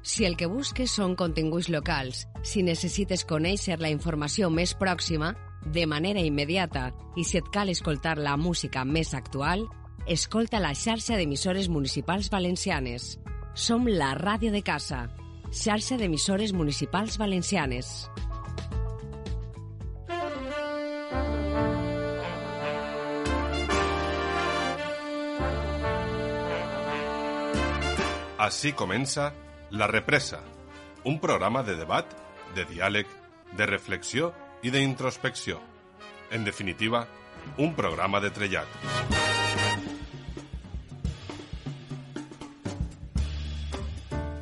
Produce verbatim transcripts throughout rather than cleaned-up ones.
Si el que busques són continguts locals, si necessites conèixer la informació més pròxima, de manera immediata, i si et cal escoltar la música més actual, escolta la xarxa d'emissores municipals valencianes. Som la ràdio de casa, xarxa d'emissores municipals valencianes. Així comença La Represa, un programa de debat, de diàleg, de reflexió i d'introspecció. En definitiva, un programa de trellat.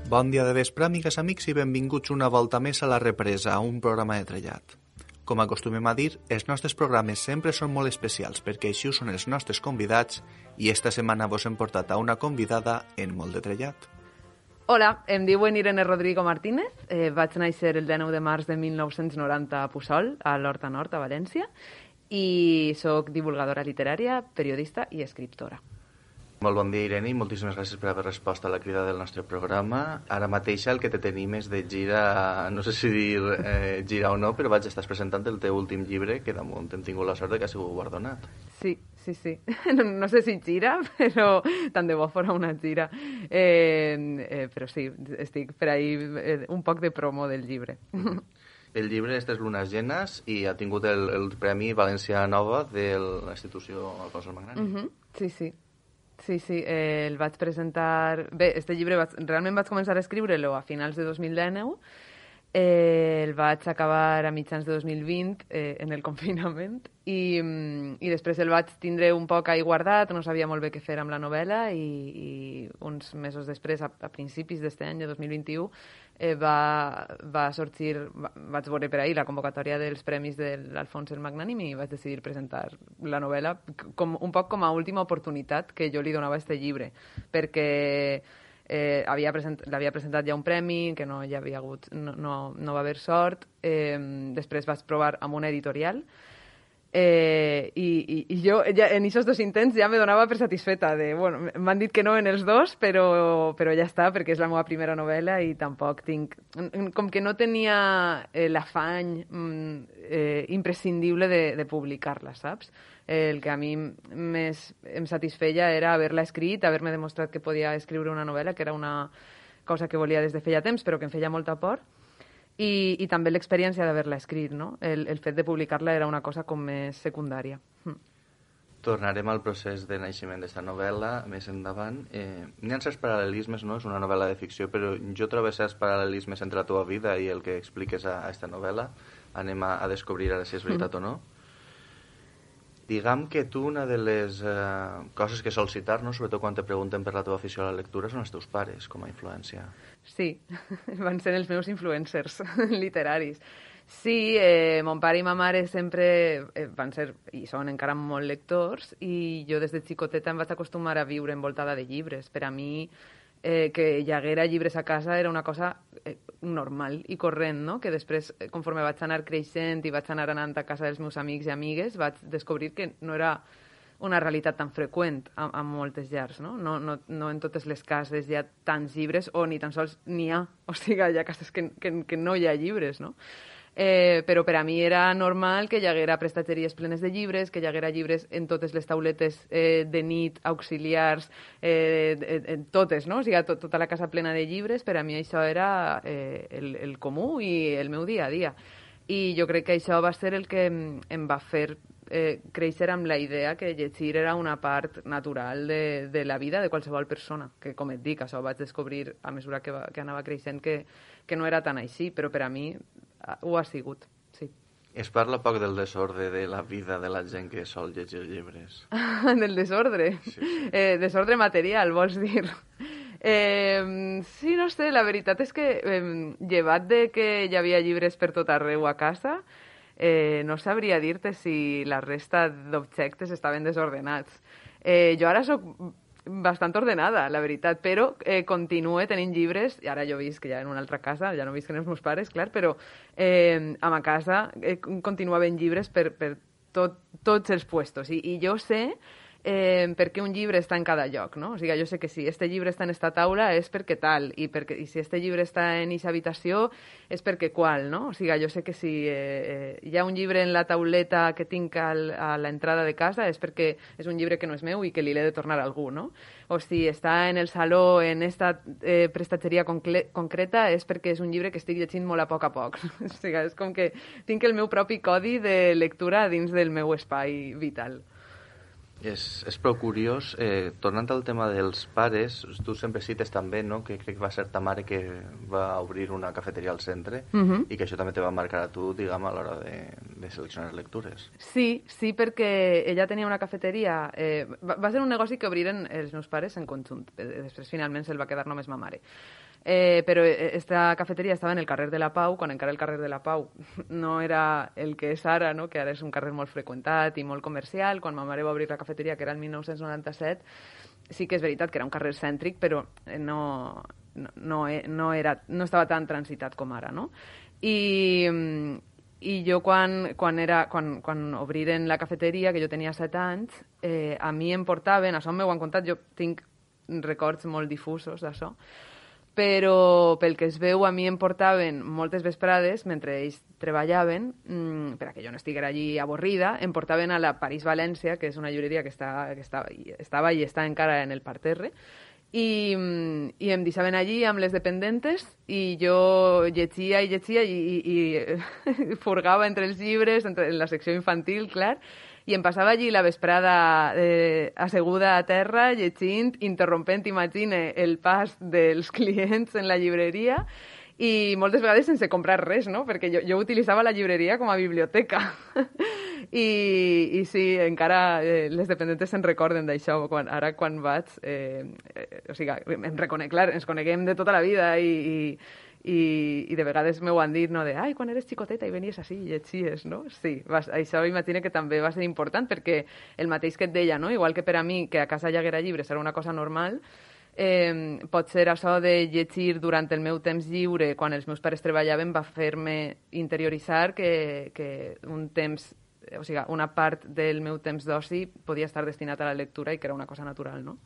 Bon dia de vespre, amigues, amics, i benvinguts una volta més a La Represa, un programa de trellat. Com acostumem a dir, els nostres programes sempre són molt especials perquè així són els nostres convidats i esta setmana vos hem portat a una convidada en molt de trellat. Hola, em diuen Irene Rodrigo Martínez, eh, vaig néixer el dinou de març de mil nou-cents noranta a Puçol, a l'Horta Nord, a València, i sóc divulgadora literària, periodista i escriptora. Molt bon dia, Irene, i moltíssimes gràcies per haver respost a la crida del nostre programa. Ara mateix el que te tenim és de gira, no sé si dir eh, gira o no, però vaig, estàs presentant el teu últim llibre, que damunt hem tingut la sort de que ha sigut guardonat. Sí, sí, sí. No, no sé si gira, però tant de bo fora una gira. Eh, eh, però sí, estic per ahí eh, un poc de promo del llibre. El llibre Estes lunes llenes i ha tingut el, el Premi València Nova de l'institució Alfons el Magnànim. Uh-huh. Sí, sí. Sí, sí, eh, el vaig presentar... Bé, este llibre vaig... realment vaig començar a escriure-lo a finals de dos mil dinou, eh, el vaig acabar a mitjans de dos mil vint eh, en el confinament i, i després el vaig tindre un poc ahí guardat, no sabia molt bé què fer amb la novel·la i, i uns mesos després, a, a principis d'este any, de dos mil vint-i-u, eh, va, va sorgir, va, vaig veure per ahí la convocatòria dels premis de l'Alfons el Magnànim i vaig decidir presentar la novel·la com, un poc com a última oportunitat que jo li donava a este llibre, perquè eh, havia present, l'havia presentat ja un premi, que no hi havia hagut, no, no, no va haver sort, eh, després vaig provar amb una editorial, Eh, i, i, i jo ja, en aquests dos intents ja me donava per satisfeta de, bueno, m'han dit que no en els dos, però, però ja està, perquè és la meva primera novel·la i tampoc tinc... Com que no tenia eh, l'afany eh, imprescindible de, de publicar-la, saps? El que a mi més em satisfeia era haver-la escrit, haver-me demostrat que podia escriure una novel·la, que era una cosa que volia des de feia temps, però que em feia molta por. I, i també l'experiència d'haver-la escrit, no? El, el fet de publicar-la era una cosa com més secundària. Mm. Tornarem al procés de naixement d'aquesta novel·la més endavant. Eh, N'hi ha certs paral·lelismes, no? És una novel·la de ficció, però jo trobo certs paral·lelismes entre la teva vida i el que expliques a aquesta novel·la. Anem a, a descobrir ara si és veritat mm. o no. Diguem que tu una de les eh, coses que sols citar, no? Sobretot quan te pregunten per la teva afició a la lectura, són els teus pares com a influència. Sí, van ser els meus influencers literaris. Sí, eh, mon pare i ma mare sempre eh, van ser, i són encara molt lectors, i jo des de xicoteta em vaig acostumar a viure envoltada de llibres. Per a mi, eh, que hi haguera llibres a casa era una cosa eh, normal i corrent, no? Que després, conforme vaig anar creixent i vaig anar anant a casa dels meus amics i amigues, vaig descobrir que no era una realitat tan freqüent a, a moltes llars, no? No, no? no en totes les cases hi ha tants llibres, o ni tan sols n'hi ha. O sigui, hi ha cases que, que, que no hi ha llibres, no? Eh, però per a mi era normal que hi haguera prestatgeries plenes de llibres, que hi haguera llibres en totes les tauletes eh, de nit, auxiliars, eh, en totes, no? O sigui, tot, tota la casa plena de llibres, per a mi això era eh, el, el comú i el meu dia a dia. I jo crec que això va ser el que em va fer eh, créixer amb la idea que llegir era una part natural de, de la vida de qualsevol persona, que com et dic, això ho vaig descobrir a mesura que, va, que anava creixent que, que no era tan així, però per a mi ho ha sigut, sí. Es parla poc del desordre de la vida de la gent que sol llegir llibres. Del desordre? Sí, sí. Eh, desordre material, vols dir? Eh, sí, no sé, la veritat és que eh, llevat de que hi havia llibres per tot arreu a casa, eh, no sabria dir-te si la resta d'objectes estaven desordenats. Eh, jo ara sóc bastant ordenada, la veritat, però eh, continuo tenint llibres, i ara jo visc ja en una altra casa, ja no visc amb els meus pares, clar, però eh, a ma casa eh, continuo havent llibres per, per tot, tots els puestos. I, i jo sé eh, per què un llibre està en cada lloc, no? O sigui, jo sé que si este llibre està en esta taula és perquè tal, i, perquè, i si este llibre està en eixa habitació és perquè qual, no? O sigui, jo sé que si eh, eh, hi ha un llibre en la tauleta que tinc al, a l'entrada de casa és perquè és un llibre que no és meu i que li l'he de tornar a algú, no? O si està en el saló en esta eh, prestatgeria concreta és perquè és un llibre que estic llegint molt a poc a poc. O sigui, és com que tinc el meu propi codi de lectura dins del meu espai vital. És, és prou curiós. Eh, tornant al tema dels pares, tu sempre cites també, no?, que crec que va ser ta mare que va obrir una cafeteria al centre uh -huh. i que això també te va marcar a tu, diguem, a l'hora de, de seleccionar lectures. Sí, sí, perquè ella tenia una cafeteria... Eh, va, va ser un negoci que obriren els meus pares en conjunt. Després, finalment, se'l va quedar només ma mare. Eh, però esta cafeteria estava en el carrer de la Pau, quan encara el carrer de la Pau no era el que és ara, no? Que ara és un carrer molt freqüentat i molt comercial. Quan ma mare va obrir la cafeteria, que era el mil nou-cents noranta-set, sí que és veritat que era un carrer cèntric, però no, no, no, no, era, no estava tan transitat com ara, no? I, i jo quan, quan, era, quan, quan obriren la cafeteria, que jo tenia set anys, eh, a mi em portaven, això m'ho han contat, jo tinc records molt difusos d'això, però pel que es veu a mi em portaven moltes vesprades, mentre ells treballaven, mmm, per a que jo no estiguera allí avorrida, em portaven a la París-València, que és una llibreria que, està, que estava, estava i està encara en el parterre, i, i em deixaven allí amb les dependentes i jo llegia i llegia i, i, i furgava entre els llibres, entre, en la secció infantil, clar, i em passava allí la vesprada eh, asseguda a terra, llegint, interrompent, imagine, el pas dels clients en la llibreria i moltes vegades sense comprar res, no? Perquè jo, jo utilitzava la llibreria com a biblioteca. I, i sí, encara eh, les dependentes se'n recorden d'això, quan, ara quan vaig, eh, eh, o sigui, em reconec, clar, ens coneguem de tota la vida i... i I, i de vegades m'ho han dit, no, de ai, quan eres xicoteta i venies així i llegies, no? Sí, vas, això imagino que també va ser important perquè el mateix que et deia, no? Igual que per a mi, que a casa hi haguera llibres era una cosa normal, eh, pot ser això de llegir durant el meu temps lliure, quan els meus pares treballaven, va fer-me interioritzar que, que un temps, o sigui, una part del meu temps d'oci podia estar destinat a la lectura i que era una cosa natural, no?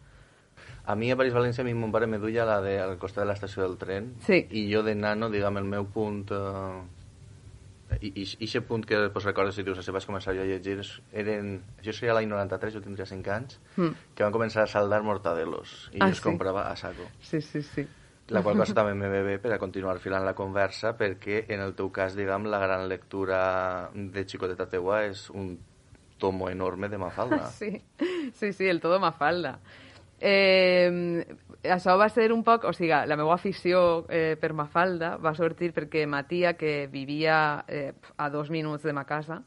A mi a París-València, a mi mon pare me duia la de, al costat de l'estació del tren, sí. I jo de nano, diguem, el meu punt... Eh, i aquest punt que pues, recordes si dius, si vaig començar jo a llegir, eren, això seria l'any noranta-tres, jo tindria cinc anys, mm. que van començar a saldar mortadelos, i ah, jo els sí? comprava a saco. Sí, sí, sí. La qual cosa també me ve bé per a continuar filant la conversa, perquè en el teu cas, diguem, la gran lectura de xicoteta teua és un tomo enorme de Mafalda. Sí, sí, sí, el todo Mafalda. Eh, això va ser un poc, o sigui, la meva afició eh, per Mafalda va sortir perquè ma tia, que vivia eh, a dos minuts de ma casa,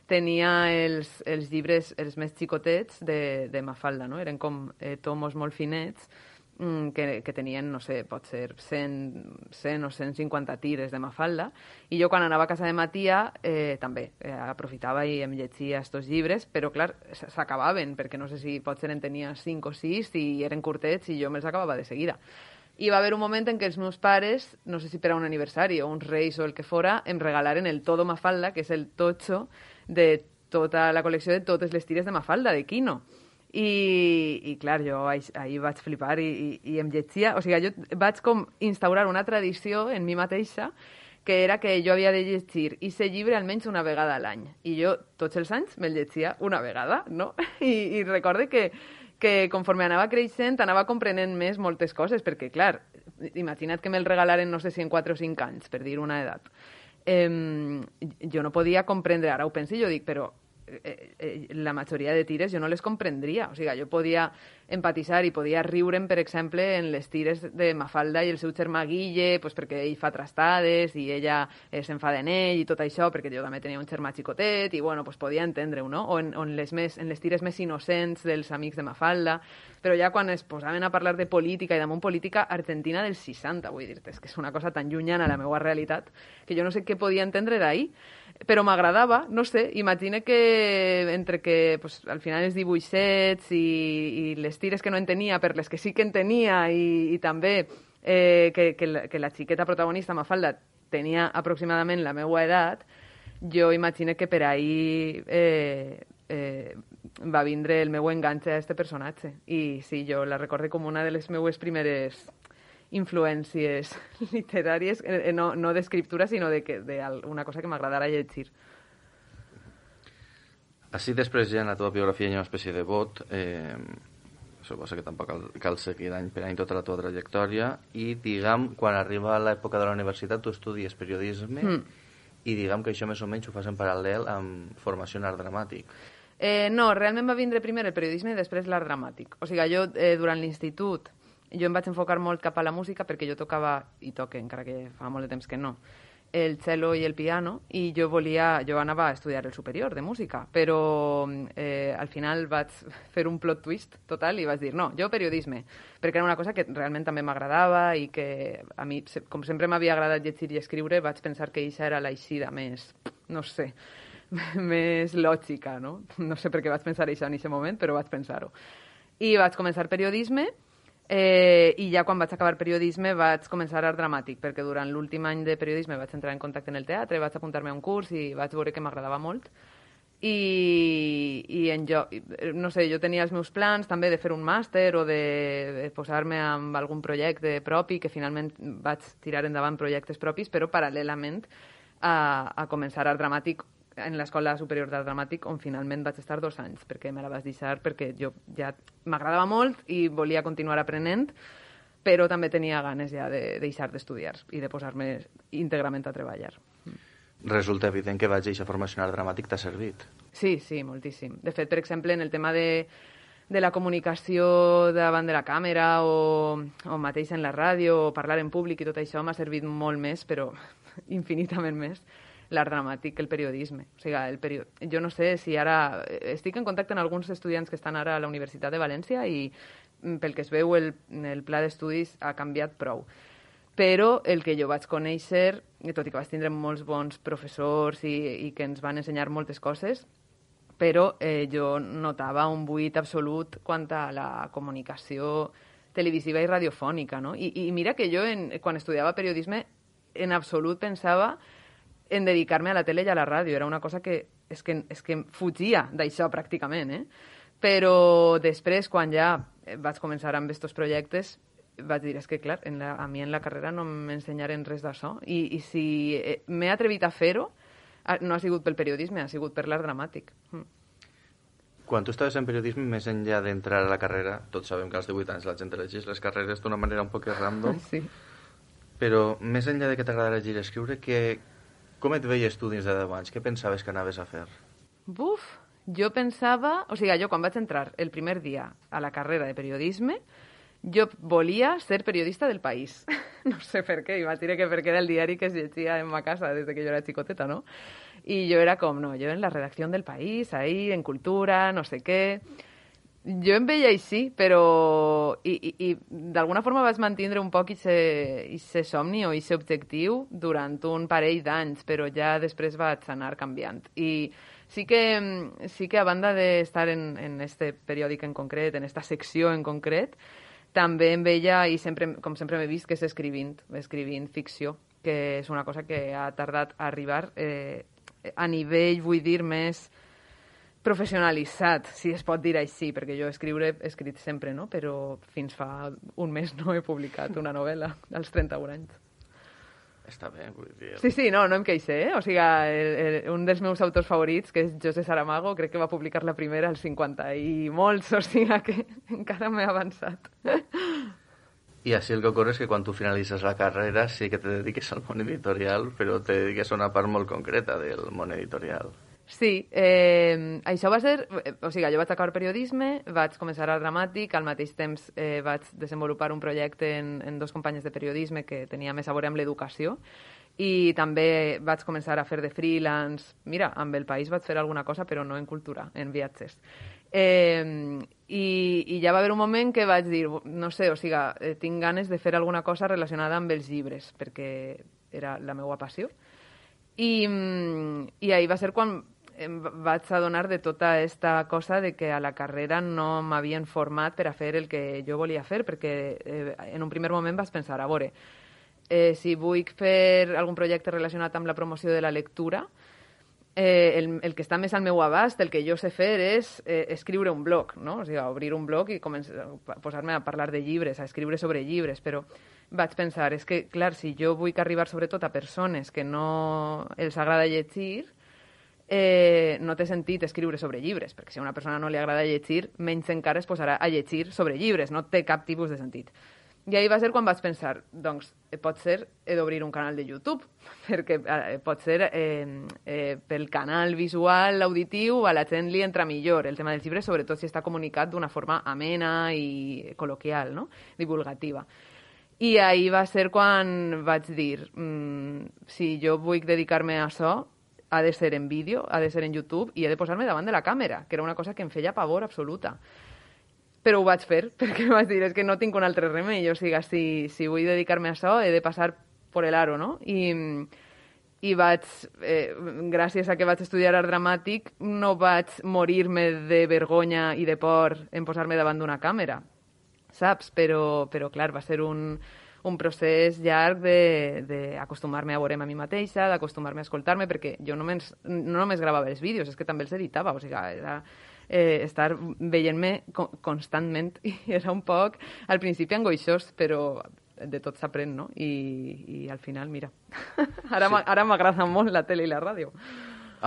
tenia els, els llibres els més xicotets de, de Mafalda, no? Eren com eh, tomos molt finets que, que tenien, no sé, pot ser cent, cent o cent cinquanta tires de Mafalda, i jo quan anava a casa de ma tia eh, també eh, aprofitava i em llegia estos llibres, però clar, s'acabaven, perquè no sé si potser en tenia cinc o sis i eren curtets i jo me'ls acabava de seguida. I va haver un moment en què els meus pares, no sé si per a un aniversari o uns reis o el que fora, em regalaren el Todo Mafalda, que és el totxo de tota la col·lecció de totes les tires de Mafalda, de Quino. I, i clar, jo ahir vaig flipar i, i, i em llegia, o sigui, jo vaig com instaurar una tradició en mi mateixa que era que jo havia de llegir aquest llibre almenys una vegada a l'any, i jo tots els anys me'l llegia una vegada, no? I, i recorde que, que conforme anava creixent anava comprenent més moltes coses, perquè clar, imagina't que me'l regalaren no sé si en quatre o cinc anys, per dir una edat. Eh, jo no podia comprendre, ara ho penso i jo dic, però Eh, eh, la majoria de tires jo no les comprendria, o sigui, jo podia empatitzar i podia riure'm, per exemple, en les tires de Mafalda i el seu germà Guille, pues perquè ell fa trastades i ella eh, s'enfada en ell i tot això, perquè jo també tenia un germà xicotet i, bueno, pues podia entendre-ho, no? O en, en, les més, en les tires més innocents dels amics de Mafalda, però ja quan es posaven a parlar de política i damunt política argentina dels seixanta, vull dir-te, és que és una cosa tan llunyana a la meva realitat que jo no sé què podia entendre d'ahir, però m'agradava, no sé, imagina que entre que pues, al final els dibuixets i, i les tires que no en tenia per les que sí que en tenia i, i també eh, que, que, la, que la xiqueta protagonista Mafalda tenia aproximadament la meva edat, jo imagino que per ahir eh, eh, va vindre el meu enganxe a este personatge. I sí, jo la recorde com una de les meues primeres influències literàries, eh, no, no d'escriptura, sinó de, que, de una cosa que m'agradara llegir. Així després ja en la teva biografia hi ha una espècie de vot, eh, suposo que tampoc cal, cal seguir any per any tota la teva trajectòria, i diguem, quan arriba l'època de la universitat tu estudies periodisme mm. i diguem que això més o menys ho fas en paral·lel amb formació en art dramàtic. Eh, no, realment va vindre primer el periodisme i després l'art dramàtic. O sigui, jo eh, durant l'institut jo em vaig enfocar molt cap a la música perquè jo tocava, i toque, encara que fa molt de temps que no, el cello i el piano, i jo volia, jo anava a estudiar el superior de música, però eh, al final vaig fer un plot twist total i vaig dir, no, jo periodisme, perquè era una cosa que realment també m'agradava i que a mi, com sempre m'havia agradat llegir i escriure, vaig pensar que això era l'eixida més, no sé, més lògica, no? No sé per què vaig pensar això en aquest moment, però vaig pensar-ho. I vaig començar periodisme, Eh, i ja quan vaig acabar periodisme vaig començar art dramàtic, perquè durant l'últim any de periodisme vaig entrar en contacte en el teatre, vaig apuntar-me a un curs i vaig veure que m'agradava molt. I, i en jo, no sé, jo tenia els meus plans també de fer un màster o de, de posar-me amb algun projecte propi, que finalment vaig tirar endavant projectes propis, però paral·lelament a, a començar art dramàtic en l'Escola Superior d'Art Dramàtic, on finalment vaig estar dos anys, perquè me la vaig deixar, perquè jo ja m'agradava molt i volia continuar aprenent, però també tenia ganes ja de deixar d'estudiar i de posar-me íntegrament a treballar. Resulta evident que vaig a aquesta formació en art dramàtic t'ha servit. Sí, sí, moltíssim. De fet, per exemple, en el tema de, de la comunicació davant de la càmera o, o mateix en la ràdio o parlar en públic i tot això m'ha servit molt més, però infinitament més, l'art dramàtic que el periodisme. O sigui, el perio... jo no sé si ara... Estic en contacte amb alguns estudiants que estan ara a la Universitat de València i pel que es veu el, el pla d'estudis ha canviat prou. Però el que jo vaig conèixer, tot i que vaig tindre molts bons professors i, i que ens van ensenyar moltes coses, però eh, jo notava un buit absolut quant a la comunicació televisiva i radiofònica, no? I, i mira que jo, en, quan estudiava periodisme, en absolut pensava en dedicar-me a la tele i a la ràdio. Era una cosa que és que, és que fugia d'això pràcticament, eh? Però després, quan ja vaig començar amb aquests projectes, vaig dir, és que clar, en la, a mi en la carrera no m'ensenyaren res d'això. I, i si eh, m'he atrevit a fer-ho, no ha sigut pel periodisme, ha sigut per l'art dramàtic. Mm. Quan tu estaves en periodisme, més enllà d'entrar a la carrera, tots sabem que als divuit anys la gent elegeix les carreres d'una manera un poc random, sí. Però més enllà de que t'agrada llegir i escriure, que... com et veies tu dins de deu anys? Què pensaves que anaves a fer? Buf, jo pensava... O sigui, jo quan vaig entrar el primer dia a la carrera de periodisme, jo volia ser periodista del País. No sé per què, i vaig dir que perquè era el diari que es llegia en ma casa des que jo era xicoteta, no? I jo era com, no, jo en la redacció del País, ahí, en cultura, no sé què... Jo em veia així, però... I, i, i d'alguna forma vaig mantindre un poc aquest somni o aquest objectiu durant un parell d'anys, però ja després vaig anar canviant. I sí que, sí que a banda d'estar en, en este periòdic en concret, en esta secció en concret, també em veia, i sempre, com sempre m'he vist, que és escrivint, escrivint ficció, que és una cosa que ha tardat a arribar eh, a nivell, vull dir, més... professionalitzat, si es pot dir així, perquè jo escriure he escrit sempre, no? Però fins fa un mes no he publicat una novel·la, als trenta-un anys. Està bé, vull dir... Sí, sí, no, no em queixé, eh? O sigui, el, el, un dels meus autors favorits, que és José Saramago, crec que va publicar la primera als cinquanta i molts, o sigui que encara m'he avançat. I així el que ocorre és que quan tu finalitzes la carrera sí que te dediques al món editorial, però te dediques a una part molt concreta del món editorial. Sí, eh, això va ser... O sigui, jo vaig acabar periodisme, vaig començar art dramàtic, al mateix temps eh, vaig desenvolupar un projecte en, en dos companyes de periodisme que tenia més a veure amb l'educació i també vaig començar a fer de freelance. Mira, amb El País vaig fer alguna cosa, però no en cultura, en viatges. Eh, i, I ja va haver un moment que vaig dir, no sé, o sigui, eh, tinc ganes de fer alguna cosa relacionada amb els llibres, perquè era la meva passió. I, i ahir va ser quan em vaig adonar de tota aquesta cosa de que a la carrera no m'havien format per a fer el que jo volia fer, perquè eh, en un primer moment vaig pensar, a veure, eh, si vull fer algun projecte relacionat amb la promoció de la lectura, eh, el, el que està més al meu abast, el que jo sé fer és eh, escriure un blog, no? O sigui, obrir un blog i posar-me a parlar de llibres, a escriure sobre llibres, però vaig pensar, és que, clar, si jo vull arribar sobretot a persones que no els agrada llegir, eh, no té sentit escriure sobre llibres, perquè si a una persona no li agrada llegir, menys encara es posarà a llegir sobre llibres, no té cap tipus de sentit. I ahir va ser quan vaig pensar, doncs, pot ser, he d'obrir un canal de YouTube, perquè eh, pot ser eh, eh, pel canal visual, auditiu, a la gent li entra millor el tema dels llibres, sobretot si està comunicat d'una forma amena i col·loquial, no? Divulgativa. I ahir va ser quan vaig dir, mmm, si jo vull dedicar-me a això, ha de ser en vídeo, ha de ser en YouTube, i he de posar-me davant de la càmera, que era una cosa que em feia pavor absoluta. Però ho vaig fer, perquè vaig dir, és que no tinc un altre remei, o sigui, si, si vull dedicar-me a això, he de passar per l'aro, no? I, i vaig, eh, gràcies a que vaig estudiar art dramàtic, no vaig morir-me de vergonya i de por en posar-me davant d'una càmera, saps? Però, però clar, va ser un, un procés llarg d'acostumar-me a veure'm a mi mateixa, d'acostumar-me a escoltar-me, perquè jo només, no només gravava els vídeos, és que també els editava, o sigui, era... Eh, estar veient-me co constantment i era un poc al principi angoixós, però de tot s'aprèn, no? I, i al final, mira, ara sí. Ara m'agrada molt la tele i la ràdio.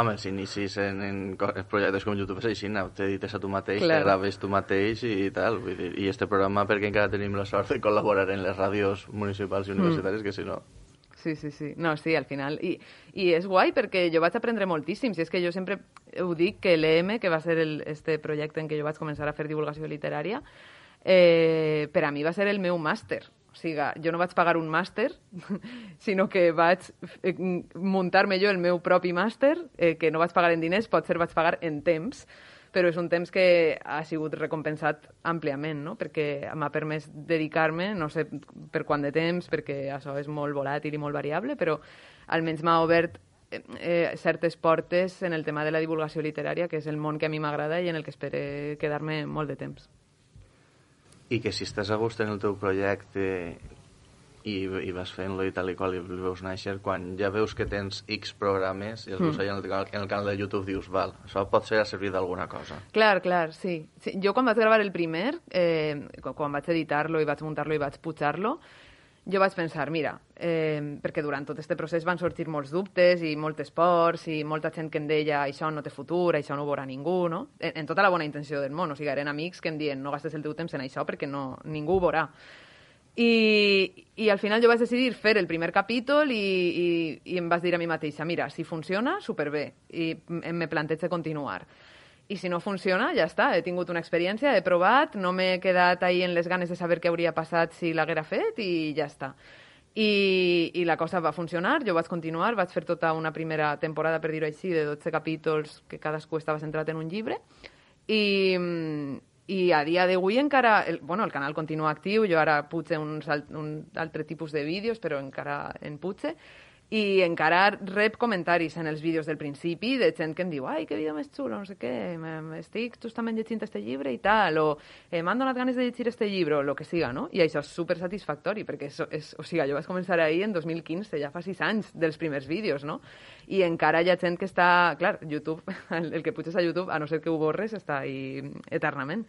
Home, si inicis en, en projectes com YouTube és així, no? T'edites a tu mateix, claro. Te graves tu mateix i tal. Vull dir, i este programa perquè encara tenim la sort de col·laborar en les ràdios municipals i universitàries, mm. que si no... Sí, sí, sí. No, sí, al final. I, i és guai perquè jo vaig aprendre moltíssim. Si és que jo sempre ho dic que l'E M, que va ser el, este projecte en què jo vaig començar a fer divulgació literària, eh, per a mi va ser el meu màster. O sigui, jo no vaig pagar un màster, sinó que vaig muntar-me jo el meu propi màster, eh, que no vaig pagar en diners, potser vaig pagar en temps, però és un temps que ha sigut recompensat àmpliament, no? Perquè m'ha permès dedicar-me, no sé per quant de temps, perquè això és molt volàtil i molt variable, però almenys m'ha obert eh, certes portes en el tema de la divulgació literària, que és el món que a mi m'agrada i en el que espero quedar-me molt de temps. I que si estàs a gust en el teu projecte i, i vas fent-lo i tal i qual i el veus néixer, quan ja veus que tens X programes i els veus mm. allà en el, canal, en el canal de YouTube dius, val, això pot ser a servir d'alguna cosa. Clar, clar, sí. sí. Jo quan vaig gravar el primer, eh, quan vaig editar-lo i vaig muntar-lo i vaig pujar-lo, jo vaig pensar, mira, eh, perquè durant tot aquest procés van sorgir molts dubtes i moltes pors i molta gent que em deia això no té futur, això no ho veurà ningú, no? En, en tota la bona intenció del món, o sigui, eren amics que em diuen no gastes el teu temps en això perquè no, ningú ho veurà. I, i al final jo vaig decidir fer el primer capítol i, i, i em vaig dir a mi mateixa, mira, si funciona, superbé, i me plantejo continuar. I si no funciona, ja està, he tingut una experiència, he provat, no m'he quedat ahí en les ganes de saber què hauria passat si l'haguera fet i ja està. I, i la cosa va funcionar, jo vaig continuar, vaig fer tota una primera temporada, per dir-ho així, de dotze capítols que cadascú estava centrat en un llibre i... I a dia d'avui encara... El, bueno, el canal continua actiu, jo ara puig uns, un altre tipus de vídeos, però encara en puig. I encara rep comentaris en els vídeos del principi de gent que em diu ai, que vídeo més xulo, no sé què, estic justament llegint este llibre i tal, o eh, m'han donat ganes de llegir este llibre, o el que siga, no? I això és supersatisfactori, perquè és, és, o sigui, jo vaig començar ahir en dos mil quinze, ja fa sis anys dels primers vídeos, no? I encara hi ha gent que està... Clar, YouTube, el, el que puges a YouTube, a no ser que ho borres, està ahí eternament.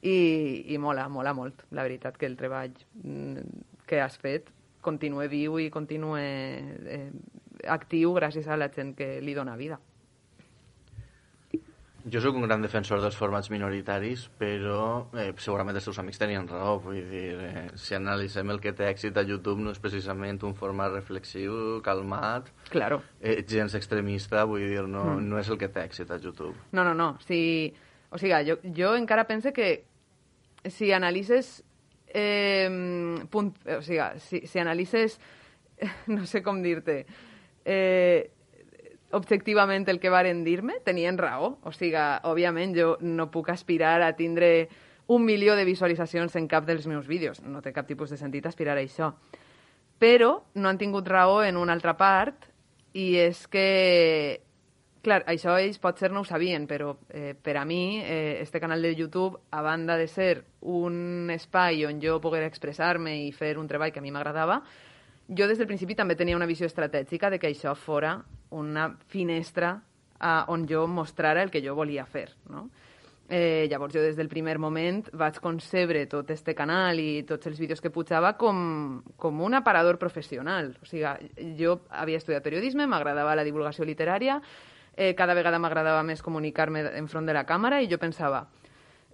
I, i mola, mola molt, la veritat, que el treball que has fet continue viu i continue eh, actiu gràcies a la gent que li dona vida. Jo sóc un gran defensor dels formats minoritaris, però eh, segurament els teus amics tenien raó. Vull dir, eh, si analitzem el que té èxit a YouTube no és precisament un format reflexiu, calmat, claro. eh, gens extremista, vull dir, no, mm. no és el que té èxit a YouTube. No, no, no. Si, o sigui, jo, jo encara pense que si analitzes eh, punt, o sigui, si, si analitzes no sé com dir-te eh, objectivament el que varen dir-me, tenien raó. O sigui, òbviament jo no puc aspirar a tindre un milió de visualitzacions en cap dels meus vídeos. No té cap tipus de sentit aspirar a això. Però no han tingut raó en una altra part, i és que, clar, això ells potser no ho sabien, però eh, per a mi, eh, este canal de YouTube, a banda de ser un espai on jo poguera expressar-me i fer un treball que a mi m'agradava, jo des del principi també tenia una visió estratègica de que això fora una finestra a, on jo mostrara el que jo volia fer, no? Eh, llavors jo des del primer moment vaig concebre tot este canal i tots els vídeos que pujava com, com un aparador professional. O sigui, jo havia estudiat periodisme, m'agradava la divulgació literària, eh, cada vegada m'agradava més comunicar-me enfront de la càmera i jo pensava,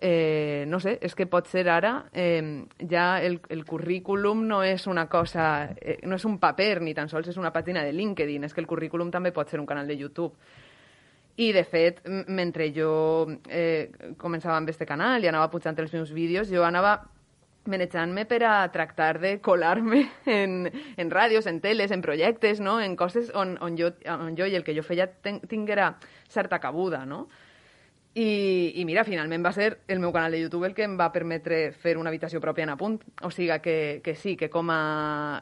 eh, no sé, és que pot ser ara eh, ja el, el currículum no és una cosa, eh, no és un paper ni tan sols és una pàgina de LinkedIn, és que el currículum també pot ser un canal de YouTube. I, de fet, mentre jo eh, començava amb este canal i anava pujant els meus vídeos, jo anava manejant-me per a tractar de colar-me en, en ràdios, en teles, en projectes, no? En coses on, on, jo, on jo i el que jo feia ten, tinguera certa cabuda, no? I, I mira, finalment va ser el meu canal de YouTube el que em va permetre fer una habitació pròpia en Apunt. O sigui que, que sí, que com a...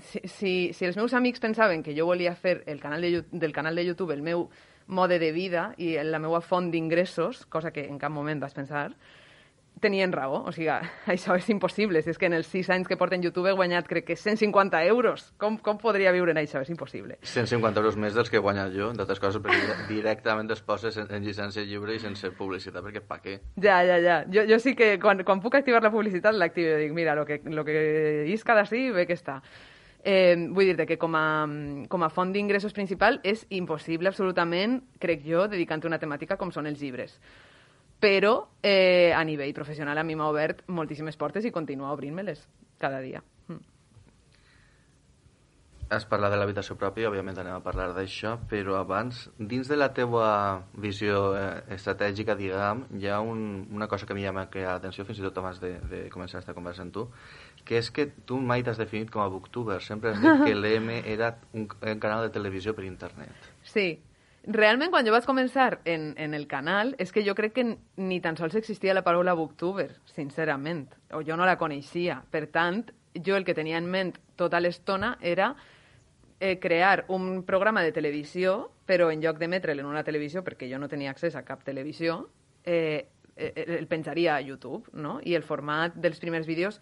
Si, si, si els meus amics pensaven que jo volia fer el canal de, del canal de YouTube el meu mode de vida i la meva font d'ingressos, cosa que en cap moment vas pensar, tenien raó. O sigui, això és impossible. Si és que en els sis anys que porten YouTube he guanyat, crec que cent cinquanta euros. Com, com podria viure en això? És impossible. cent cinquanta euros més dels que he guanyat jo, d'altres coses, perquè directament es poses en, en llicència lliure i sense publicitat, perquè pa què? Ja, ja, ja. Jo, jo sí que quan, quan puc activar la publicitat l'activo. Dic, mira, lo que, lo que isca d'ací, ve que està. Eh, vull dir-te que com a, com a font d'ingressos principal és impossible absolutament, crec jo, dedicant-te a una temàtica com són els llibres. Però eh, a nivell professional a mi m'ha obert moltíssimes portes i continua obrint-me-les cada dia. Mm. Has parlat de l'habitació pròpia, òbviament anem a parlar d'això, però abans, dins de la teua visió eh, estratègica, diguem, hi ha un, una cosa que a mi ja m'ha creat atenció, fins i tot abans de, de començar aquesta conversa amb tu, que és que tu mai t'has definit com a booktuber, sempre has dit que l'E M era un, un canal de televisió per internet. Sí. Realment, quan jo vaig començar en, en el canal, és que jo crec que ni tan sols existia la paraula booktuber, sincerament, o jo no la coneixia. Per tant, jo el que tenia en ment tota l'estona era eh, crear un programa de televisió, però en lloc d'emetre'l en una televisió, perquè jo no tenia accés a cap televisió, eh, eh, el penjaria a YouTube, no? I el format dels primers vídeos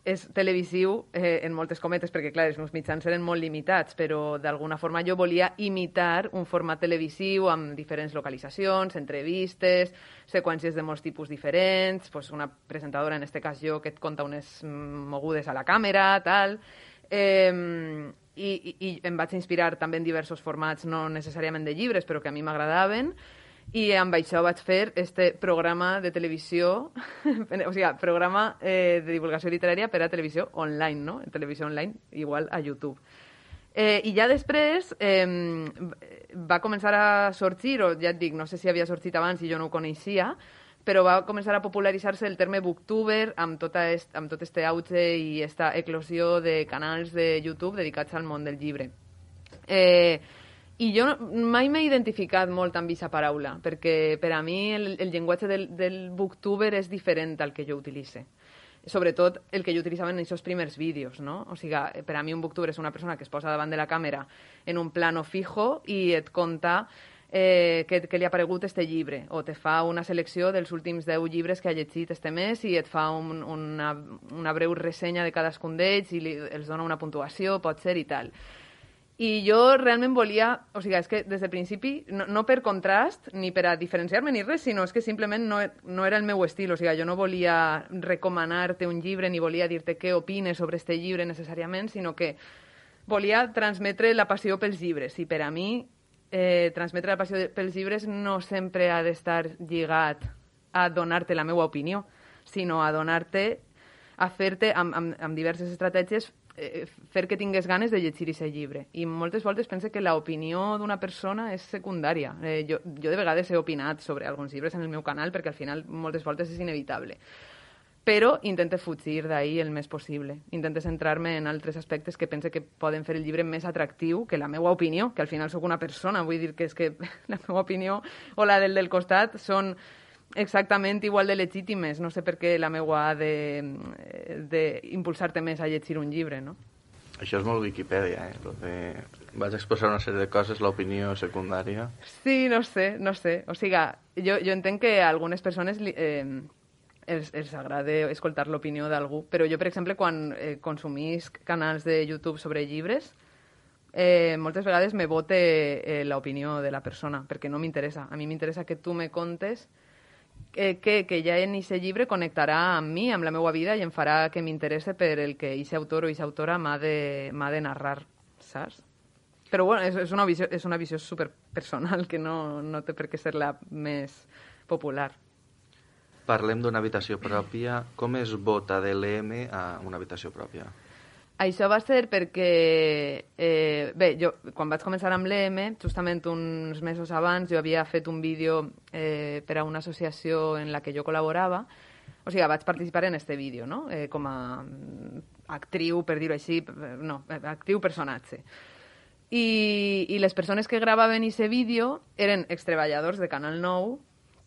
és televisiu eh, en moltes cometes, perquè, clar, els meus mitjans eren molt limitats, però d'alguna forma jo volia imitar un format televisiu amb diferents localitzacions, entrevistes, seqüències de molts tipus diferents, pues una presentadora, en este cas jo, que et conta unes mogudes a la càmera, tal... Eh, i, i, i em vaig inspirar també en diversos formats, no necessàriament de llibres, però que a mi m'agradaven, i amb això vaig fer este programa de televisió, o sigui, programa eh, de divulgació literària per a televisió online, no? Televisió online igual a YouTube. Eh, I ja després eh, va començar a sorgir, o ja et dic, no sé si havia sorgit abans i jo no ho coneixia, però va començar a popularitzar-se el terme booktuber amb, tota est, amb tot este auge i esta eclosió de canals de YouTube dedicats al món del llibre. Eh... I jo mai m'he identificat molt amb aquesta paraula, perquè per a mi el, el llenguatge del, del booktuber és diferent al que jo utilitze. Sobretot el que jo utilitzava en aquests primers vídeos, no? O sigui, per a mi un booktuber és una persona que es posa davant de la càmera en un plano fijo i et conta eh, que, que li ha aparegut este llibre, o te fa una selecció dels últims deu llibres que ha llegit este mes i et fa un, una, una breu ressenya de cadascun d'ells i li, els dona una puntuació, pot ser, i tal. I jo realment volia, o sigui, és que des del principi, no, no per contrast, ni per a diferenciar-me ni res, sinó és que simplement no, no era el meu estil, o sigui, jo no volia recomanar-te un llibre ni volia dir-te què opines sobre este llibre necessàriament, sinó que volia transmetre la passió pels llibres. I per a mi, eh, transmetre la passió pels llibres no sempre ha d'estar lligat a donar-te la meva opinió, sinó a donar-te, a fer-te, amb, amb, amb diverses estratègies, fer que tingués ganes de llegir aquest llibre. I moltes voltes pense que l'opinió d'una persona és secundària. Eh, jo, jo de vegades he opinat sobre alguns llibres en el meu canal perquè al final moltes voltes és inevitable. Però intente fugir d'ahir el més possible. Intente centrar-me en altres aspectes que pense que poden fer el llibre més atractiu que la meva opinió, que al final sóc una persona. Vull dir que és que la meva opinió o la del del costat són exactament igual de legítimes. No sé per què la meua ha d'impulsar-te més a llegir un llibre, no? Això és molt Wikipedia, eh? De... Vaig exposar una sèrie de coses, l'opinió secundària. Sí, no sé, no sé. O sigui, jo, jo entenc que a algunes persones eh, els, els agrada escoltar l'opinió d'algú, però jo, per exemple, quan eh, consumisc canals de YouTube sobre llibres, eh, moltes vegades me vote eh, l'opinió de la persona, perquè no m'interessa. A mi m'interessa que tu me contes que, que, que ja en aquest llibre connectarà amb mi, amb la meva vida, i em farà que m'interesse per el que aquest autor o aquesta autora m'ha de, m'ha de narrar, saps? Però bueno, és, és, una visió, és una visió superpersonal que no, no té per què ser la més popular. Parlem d'una habitació pròpia. Com es vota de l'E M a una habitació pròpia? Això va ser perquè... Eh, bé, jo, quan vaig començar amb l'E M, justament uns mesos abans, jo havia fet un vídeo eh, per a una associació en la que jo col·laborava. O sigui, vaig participar en este vídeo, no? Eh, com a actriu, per dir-ho així, no, actriu personatge. I, i les persones que gravaven aquest vídeo eren extreballadors de Canal nou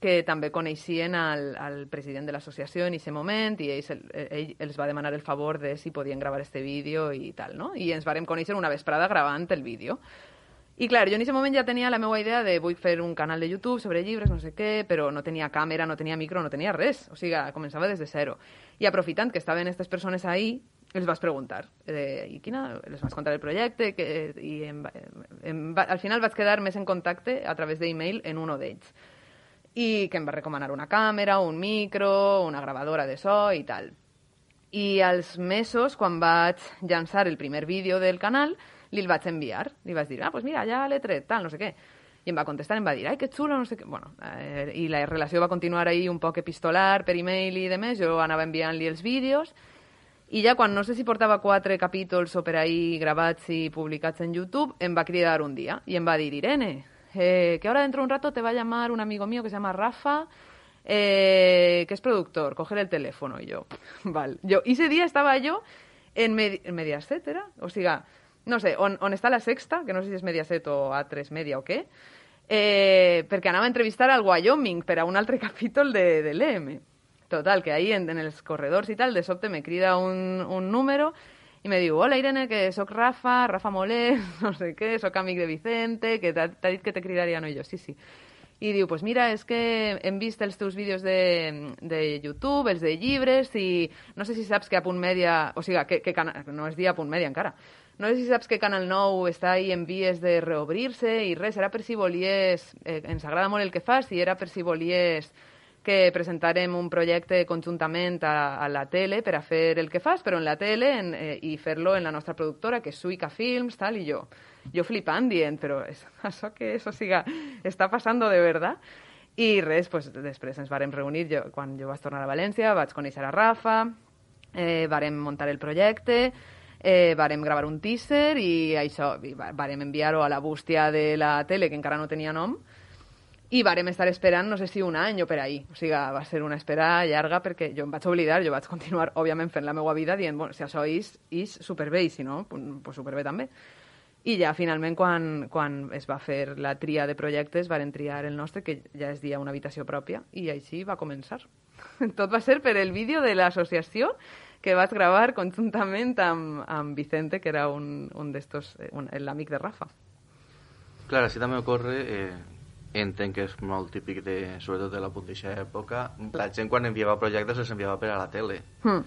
que també coneixien al, al president de l'associació en aquest moment i ells, ell els va demanar el favor de si podien gravar este vídeo i tal, no? I ens vàrem conèixer una vesprada gravant el vídeo. I clar, jo en aquest moment ja tenia la meva idea de vull fer un canal de YouTube sobre llibres, no sé què, però no tenia càmera, no tenia micro, no tenia res. O sigui, començava des de zero. I aprofitant que estaven aquestes persones ahí, els vas preguntar, eh, i quina, els vas contar el projecte, que, i em, em, al final vaig quedar més en contacte a través d'email en un d'ells, i que em va recomanar una càmera, un micro, una gravadora de so i tal. I als mesos, quan vaig llançar el primer vídeo del canal, li el vaig enviar. Li vaig dir, ah, pues mira, ja l'he tret, tal, no sé què. I em va contestar, em va dir, ai, que xulo, no sé què. Bueno, eh, i la relació va continuar ahí un poc epistolar, per email i demés. Jo anava enviant-li els vídeos. I ja quan no sé si portava quatre capítols o per ahí gravats i publicats en YouTube, em va cridar un dia i em va dir, Irene, eh, que ahora dentro de un rato te va a llamar un amigo mío que se llama Rafa, eh, que es productor, coger el teléfono. Y yo, vale. Yo, ese día estaba yo en, Medi en Mediaset, ¿era? O sea, no sé, on, on està la Sexta, que no sé si és Mediaset o A tres Media o què, eh, perquè anava a entrevistar al Wyoming per a un altre capítol de, de l'E M. Total, que ahí en, en els corredors i tal, de sobte me crida un, un número i me diu, hola Irene, que soc Rafa, Rafa Molés, no sé què, soc amic de Vicente, que t'ha dit que te cridaria, no? I jo, sí, sí. I diu, pues mira, és que hem vist els teus vídeos de, de YouTube, els de llibres, i no sé si saps que a Punt Mèdia, o sigui, que, que cana, no és dia a Punt Mèdia encara, no sé si saps que Canal nou està ahí en vies de reobrir-se i res, era per si volies, eh, ens agrada molt el que fas, i era per si volies que presentarem un projecte conjuntament a, a la tele per a fer el que fas, però en la tele en, eh, i fer-lo en la nostra productora, que és Suica Films, tal, i jo, jo flipant dient, però és, això que és, o sigui, està passant de verdad? I res, pues, després ens vàrem reunir, jo, quan jo vaig tornar a València, vaig conèixer a Rafa, eh, vàrem muntar el projecte, eh, vàrem gravar un teaser i això, i vàrem enviar-ho a la bústia de la tele, que encara no tenia nom, i vàrem estar esperant, no sé si un any o per ahí. O sigui, va ser una espera llarga perquè jo em vaig oblidar, jo vaig continuar, òbviament, fent la meva vida dient, bueno, si això és, és superbé i si no, pues superbé també. I ja, finalment, quan, quan es va fer la tria de projectes, varen triar el nostre, que ja es dia una habitació pròpia, i així va començar. Tot va ser per el vídeo de l'associació que vaig gravar conjuntament amb, amb Vicente, que era un, un d'estos, l'amic de Rafa. Clar, així també ocorre... Eh... Entenc que és molt típic, de, sobretot de la puntixa època. La gent quan enviava projectes els enviava per a la tele. Mm.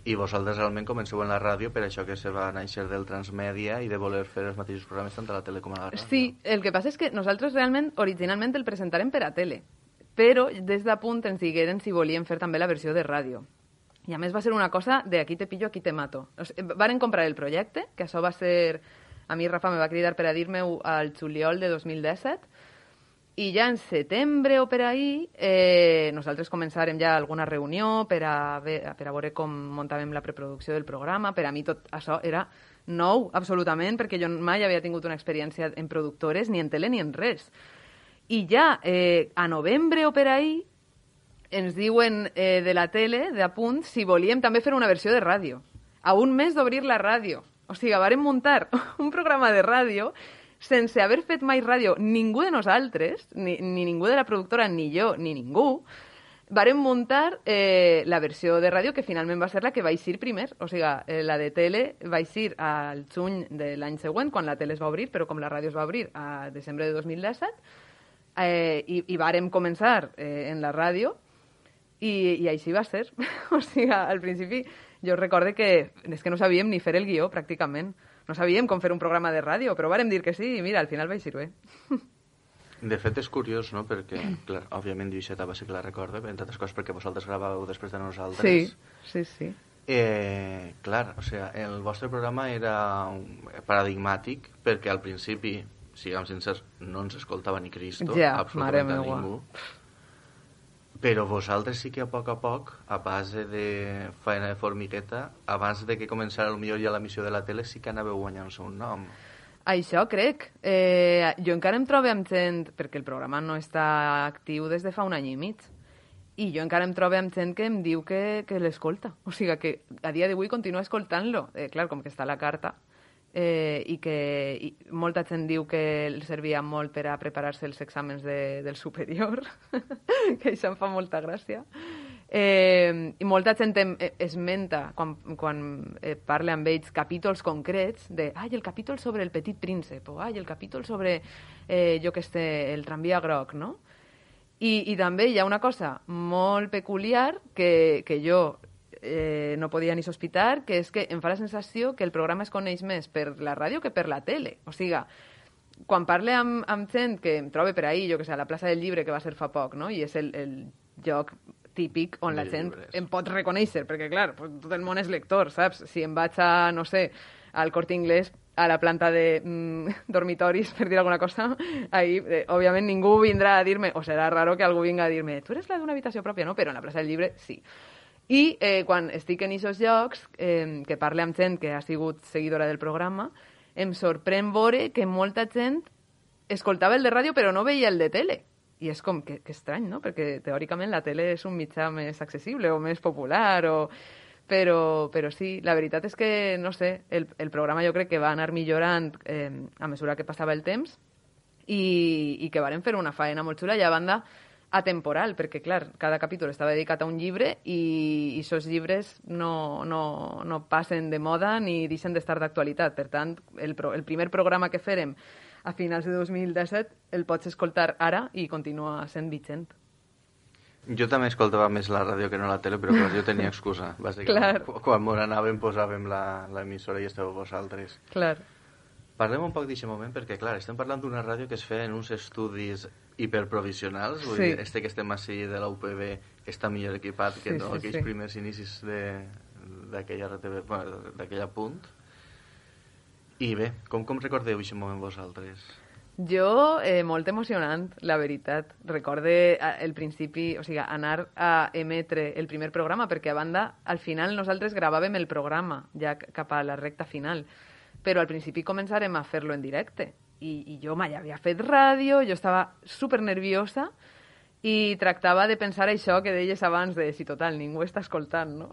I vosaltres realment comenceu en la ràdio, per això que se va néixer del transmèdia i de voler fer els mateixos programes tant a la tele com a la ràdio. Sí, el que passa és que nosaltres realment, originalment el presentarem per a tele, però des de punt ens digueren si volien fer també la versió de ràdio. I a més va ser una cosa de aquí te pillo, aquí te mato. O sigui, varen comprar el projecte, que això va ser... A mi Rafa me va cridar per a dir-me-ho al juliol de dos mil disset, i ja en setembre o per ahí eh, nosaltres començarem ja alguna reunió per a, per a veure com muntàvem la preproducció del programa. Per a mi tot això era nou, absolutament, perquè jo mai havia tingut una experiència en productores, ni en tele ni en res. I ja eh, a novembre o per ahí ens diuen eh, de la tele, de Apunt, si volíem també fer una versió de ràdio. A un mes d'obrir la ràdio. O sigui, vàrem muntar un programa de ràdio sense haver fet mai ràdio ningú de nosaltres, ni, ni ningú de la productora, ni jo, ni ningú, vàrem muntar eh, la versió de ràdio que finalment va ser la que va eixir primer. O sigui, eh, la de tele va eixir al juny de l'any següent, quan la tele es va obrir, però com la ràdio es va obrir a desembre de dos mil disset, eh, i, i vàrem començar eh, en la ràdio, i, i així va ser. O sigui, al principi Jo recorde que és que no sabíem ni fer el guió, pràcticament. No sabíem com fer un programa de ràdio, però vàrem dir que sí, i mira, al final va eixir bé. De fet, és curiós, no?, perquè, clar, òbviament, Lluïseta va ser que la recorda, entre altres coses perquè vosaltres gravàveu després de nosaltres. Sí, sí, sí. Eh, clar, o sea, el vostre programa era paradigmàtic perquè al principi, siguem sincers, no ens escoltava ni Cristo, ja, absolutament a ningú. Però vosaltres sí que a poc a poc, a base de feina de formigueta, abans de que començara potser ja l'emissió de la tele, sí que anàveu guanyant-se un nom. Això crec. Eh, jo encara em trobo amb gent, perquè el programa no està actiu des de fa un any i mig, i jo encara em trobo amb gent que em diu que, que l'escolta. O sigui, que a dia d'avui continua escoltant-lo. Eh, clar, com que està a la carta, eh, i que i molta gent diu que el servia molt per a preparar-se els exàmens de, del superior, que això em fa molta gràcia. Eh, I molta gent em, esmenta, quan, quan eh, parla amb ells, capítols concrets de, ai, el capítol sobre el petit príncep, o ai, el capítol sobre, eh, jo que sé, el tramvia groc, no? I, i també hi ha una cosa molt peculiar que, que jo eh, no podia ni sospitar, que és que em fa la sensació que el programa es coneix més per la ràdio que per la tele. O sigui, quan parle amb, amb gent que em trobe per ahir, jo que sé, a la plaça del Llibre, que va ser fa poc, no? I és el, el lloc típic on la gent em pot reconèixer, perquè, clar, tot el món és lector, saps? Si em vaig a, no sé, al Corte Inglés, a la planta de mm, dormitoris, per dir alguna cosa, ahí, eh, òbviament, ningú vindrà a dir-me, o serà raro que algú vinga a dir-me, tu eres la d'una habitació pròpia, no? Però en la plaça del Llibre, sí. I eh, quan estic en aquests llocs, eh, que parle amb gent que ha sigut seguidora del programa, em sorprèn veure que molta gent escoltava el de ràdio però no veia el de tele. I és com, que, que estrany, no? Perquè teòricament la tele és un mitjà més accessible o més popular, o... però, però sí, la veritat és que, no sé, el, el programa jo crec que va anar millorant eh, a mesura que passava el temps i, i que varen fer una faena molt xula i a banda atemporal, perquè, clar, cada capítol estava dedicat a un llibre i aquests llibres no, no, no passen de moda ni deixen d'estar d'actualitat. Per tant, el, pro, el primer programa que fèrem a finals de dos mil disset el pots escoltar ara i continua sent vigent. Jo també escoltava més la ràdio que no la tele, però clar, jo tenia excusa. Bàsicament, Clar. quan m'ho anàvem posàvem l'emissora i estàveu vosaltres. Clar. Parlem un poc d'aquest moment, perquè clar, estem parlant d'una ràdio que es feia en uns estudis hiperprovisionals, vull Sí. dir, este que estem així de la U P B està millor equipat que Sí, no sí, aquells sí. primers inicis de- d'aquella R T V, bueno, d'aquella punt. I bé, com, com recordeu aquest moment vosaltres? Jo, eh, molt emocionant, la veritat. Recorde eh, el principi, o sigui, anar a emetre el primer programa, perquè a banda, al final nosaltres gravàvem el programa, ja c- cap a la recta final, però al principi començarem a fer-lo en directe. I, i jo mai havia fet ràdio, jo estava super nerviosa i tractava de pensar això que deies abans de si total ningú està escoltant, no?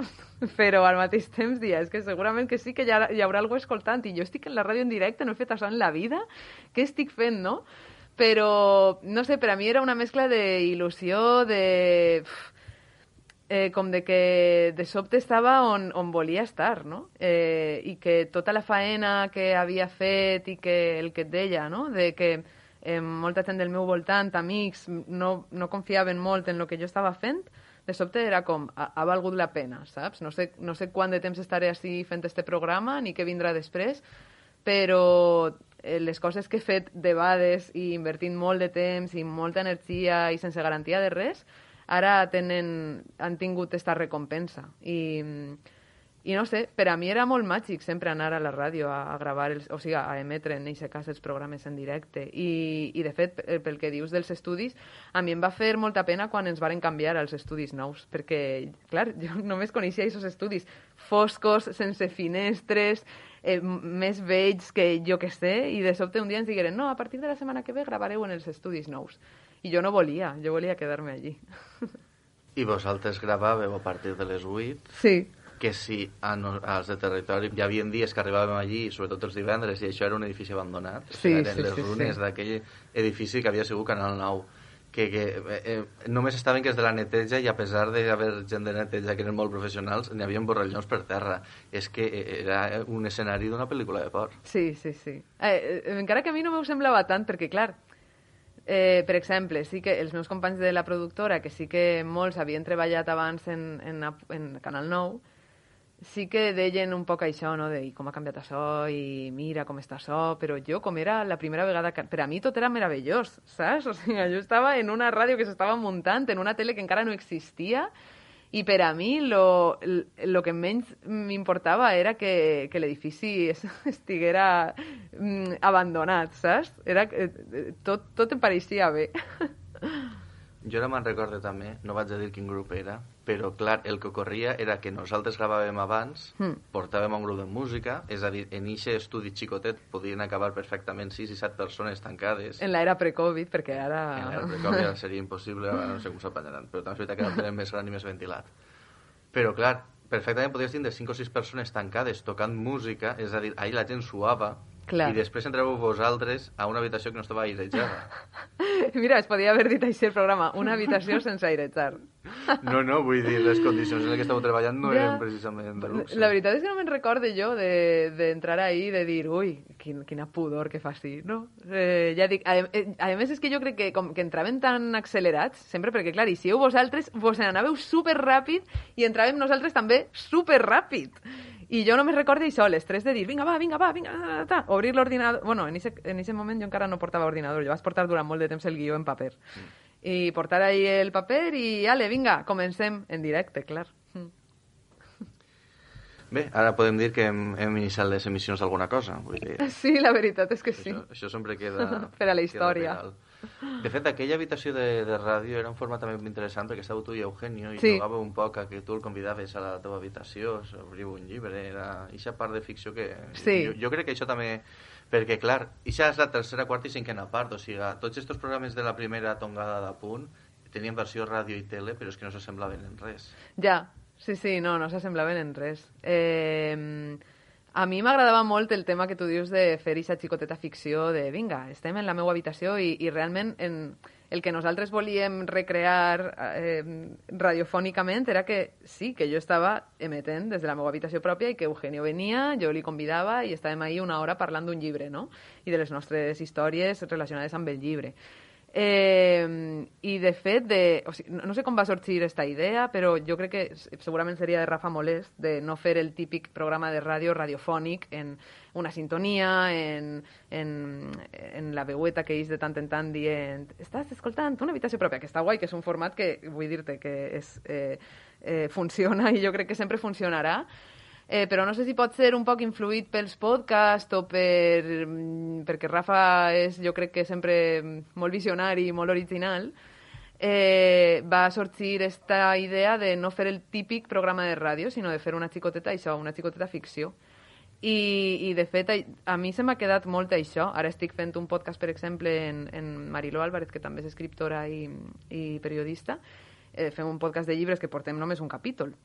Però al mateix temps dia, és que segurament que sí que hi, ha, hi haurà algú escoltant i jo estic en la ràdio en directe, no he fet això en la vida, què estic fent, no? Però, no sé, per a mi era una mescla d'il·lusió, de... Eh, com de que de sobte estava on, on volia estar, no? Eh, I que tota la faena que havia fet i que el que et deia, no? De que eh, molta gent del meu voltant, amics, no, no confiaven molt en el que jo estava fent, de sobte era com, ha, ha valgut la pena, saps? No sé, no sé quant de temps estaré així fent este programa, ni què vindrà després, però eh, les coses que he fet debades i invertint molt de temps i molta energia i sense garantia de res, ara tenen, han tingut esta recompensa. I, i no sé, per a mi era molt màgic sempre anar a la ràdio a, a gravar, els, o sigui, a emetre en aquest cas els programes en directe. I, i de fet, pel que dius dels estudis, a mi em va fer molta pena quan ens varen canviar als estudis nous, perquè, clar, jo només coneixia aquests estudis foscos, sense finestres, eh, més vells que jo que sé, i de sobte un dia ens digueren no, a partir de la setmana que ve gravareu en els estudis nous. I jo no volia, jo volia quedar-me allí. I vosaltres gravàveu a partir de les vuit, Sí. que si a no, als de territori hi havia dies que arribàvem allí, sobretot els divendres, i això era un edifici abandonat. Sí, o sigui, eren sí, les sí, runes sí. d'aquell edifici que havia sigut Canal nou, que, que eh, eh, només estaven que és de la neteja i a pesar d'haver gent de neteja que eren molt professionals, n'hi havia borrallons per terra. És que era un escenari d'una pel·lícula de por. Sí, sí, sí. Eh, eh, encara que a mi no m'ho semblava tant, perquè, clar, eh, per exemple, sí que els meus companys de la productora, que sí que molts havien treballat abans en, en, en Canal nou, sí que deien un poc això, no?, de com ha canviat això i mira com està això, però jo, com era la primera vegada... Que... Per a mi tot era meravellós, saps? O sigui, jo estava en una ràdio que s'estava muntant, en una tele que encara no existia, i per a mi lo, lo que menys m'importava era que, que l'edifici estiguera mm, abandonat, saps? Era, tot, tot em pareixia bé. Jo ara me'n recordo també, no vaig a dir quin grup era, però clar, el que ocorria era que nosaltres gravàvem abans, mm. portàvem un grup de música, és a dir, en aquest estudi xicotet podien acabar perfectament sis i set persones tancades. En l'era pre-Covid, perquè ara... En l'era pre-Covid ara seria impossible, ara no sé com s'apanyaran, però també és veritat que ara tenim més gran i més ventilat. Però clar, perfectament podries tindre cinc o sis persones tancades tocant música, és a dir, ahir la gent suava, clar. I després entreu vosaltres a una habitació que no estava airejada. Mira, es podia haver dit així el programa, una habitació sense airejar. No, no, vull dir, les condicions en les que estàveu treballant no ja. eren precisament de luxe. La veritat és que no me'n recorde jo d'entrar de, ahí i de dir, ui, quin, quina pudor que fa així, no? Eh, ja dic, a, a més és que jo crec que com que entraven tan accelerats, sempre perquè, clar, i si heu vosaltres, vos n'anàveu superràpid i entràvem nosaltres també superràpid. I jo només recordo això, l'estrès de dir, vinga, va, vinga, va, vinga, ta, ta, obrir l'ordinador... Bueno, en aquest moment jo encara no portava ordinador, jo vaig portar durant molt de temps el guió en paper. Mm. I portar ahí el paper i, ale, vinga, comencem en directe, clar. Mm. Bé, ara podem dir que hem, hem iniciat les emissions d'alguna cosa. Vull dir, sí, la veritat és que sí. Això, això sempre queda... per a la història. De fet, aquella habitació de, de ràdio era un format també interessant perquè estàveu tu i Eugenio i sí. jugàveu un poc a que tu el convidaves a la teva habitació, obriu un llibre, era aquesta part de ficció que... Sí. Jo, jo crec que això també... Perquè, clar, això és la tercera, quarta i cinquena part, o sigui, tots aquests programes de la primera tongada de punt tenien versió ràdio i tele, però és que no s'assemblaven en res. Ja, sí, sí, no, no s'assemblaven en res. Eh... A mi m'agradava molt el tema que tu dius de fer aquesta xicoteta ficció de vinga, estem en la meva habitació i, i realment en, el que nosaltres volíem recrear eh, radiofònicament era que sí, que jo estava emetent des de la meva habitació pròpia i que Eugenio venia, jo li convidava i estàvem ahí una hora parlant d'un llibre, no? I de les nostres històries relacionades amb el llibre. Eh, i de fet de, o sigui, no, no sé com va sorgir aquesta idea, però jo crec que segurament seria de Rafa Molest de no fer el típic programa de ràdio radiofònic en una sintonia, en, en, en la veueta que ells de tant en tant dient estàs escoltant una habitació pròpia, que està guai, que és un format que vull dir-te que és, eh, eh, funciona i jo crec que sempre funcionarà. Eh, però no sé si pot ser un poc influït pels podcasts o per... perquè Rafa és, jo crec que sempre molt visionari i molt original, eh, va sorgir esta idea de no fer el típic programa de ràdio, sinó de fer una xicoteta, això, una xicoteta ficció. I, i de fet, a mi se m'ha quedat molt això. Ara estic fent un podcast, per exemple, en, en Mariló Álvarez, que també és escriptora i, i periodista. Eh, fem un podcast de llibres que portem només un capítol.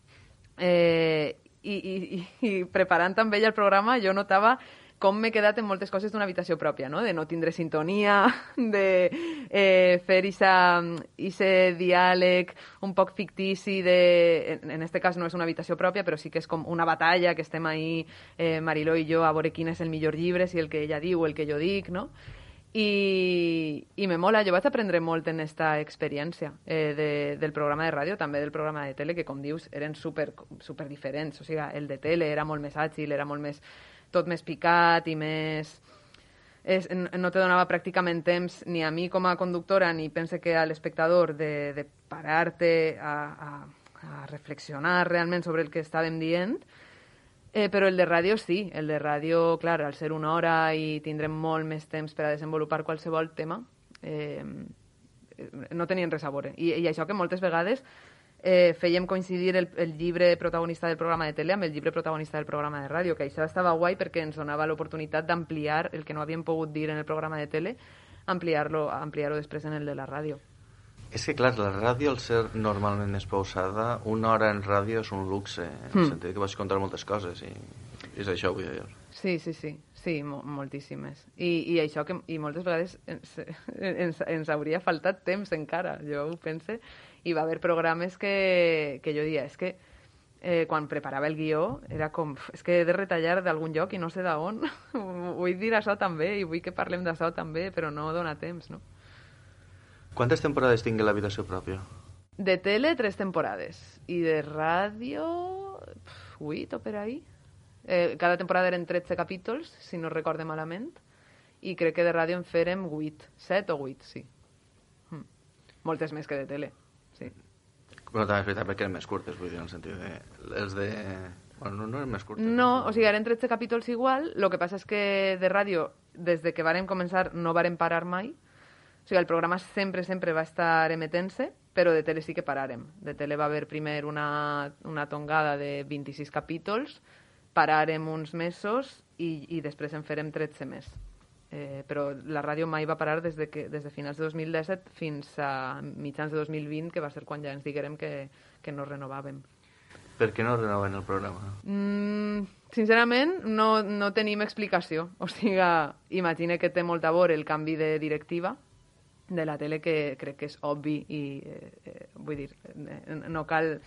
Eh, I, i, i preparant també ella el programa jo notava com m'he quedat en moltes coses d'una habitació pròpia, no? De no tindre sintonia, de eh, fer ese diàleg un poc fictici de... En, en este cas no és una habitació pròpia, però sí que és com una batalla, que estem ahí, eh, Mariló i jo, a veure quin és el millor llibre, si el que ella diu o el que jo dic, no? I, i me mola, jo vaig aprendre molt en esta experiència eh, de, del programa de ràdio, també del programa de tele, que com dius eren super, super diferents, o sigui, el de tele era molt més àgil, era molt més, tot més picat i més... És, no te donava pràcticament temps ni a mi com a conductora ni pense que a l'espectador de, de parar-te a, a, a reflexionar realment sobre el que estàvem dient. Eh, però el de ràdio sí, el de ràdio, clar, al ser una hora i tindrem molt més temps per a desenvolupar qualsevol tema, eh, no tenien res a veure. I, i això que moltes vegades eh, fèiem coincidir el, el llibre protagonista del programa de tele amb el llibre protagonista del programa de ràdio, que això estava guai perquè ens donava l'oportunitat d'ampliar el que no havíem pogut dir en el programa de tele, ampliar-lo ampliar-ho després en el de la ràdio. És que, clar, la ràdio, al ser normalment més pausada, una hora en ràdio és un luxe, en el mm. sentit que vaig contar moltes coses, i és això, vull dir. Sí, sí, sí, sí, mo moltíssimes. I, i això que i moltes vegades ens, ens, ens hauria faltat temps encara, jo ho pense, i va haver programes que, que jo dia, és que eh, quan preparava el guió era com, és que he de retallar d'algun lloc i no sé d'on, vull dir això també, i vull que parlem d'això també, però no dona temps, no? Quantes temporades tingui l'habitació pròpia? De tele, tres temporades. I de ràdio, vuit o per ahí. Eh, cada temporada eren tretze capítols, si no recorde malament, i crec que de ràdio en fèrem vuit, set o vuit, sí. Mm. Moltes més que de tele, sí. Bueno, també és veritat perquè eren més curtes, vull dir, en el sentit de... Els de... Bueno, no, no eren més curtes. No, o sigui, eren tretze capítols igual, el que passa és que de ràdio, des de que vàrem començar, no vàrem parar mai. O sigui, el programa sempre, sempre va estar emetent-se, però de tele sí que paràrem. De tele va haver primer una, una tongada de vint-i-sis capítols, paràrem uns mesos i, i després en farem tretze més. Eh, però la ràdio mai va parar des de, que, des de finals de dos mil disset fins a mitjans de dos mil vint, que va ser quan ja ens diguérem que, que no renovàvem. Per què no renoven el programa? Mm, sincerament, no, no tenim explicació. O sigui, imagine que té molt a veure el canvi de directiva de la tele, que crec que és obvi i, eh, eh, vull dir, eh, no cal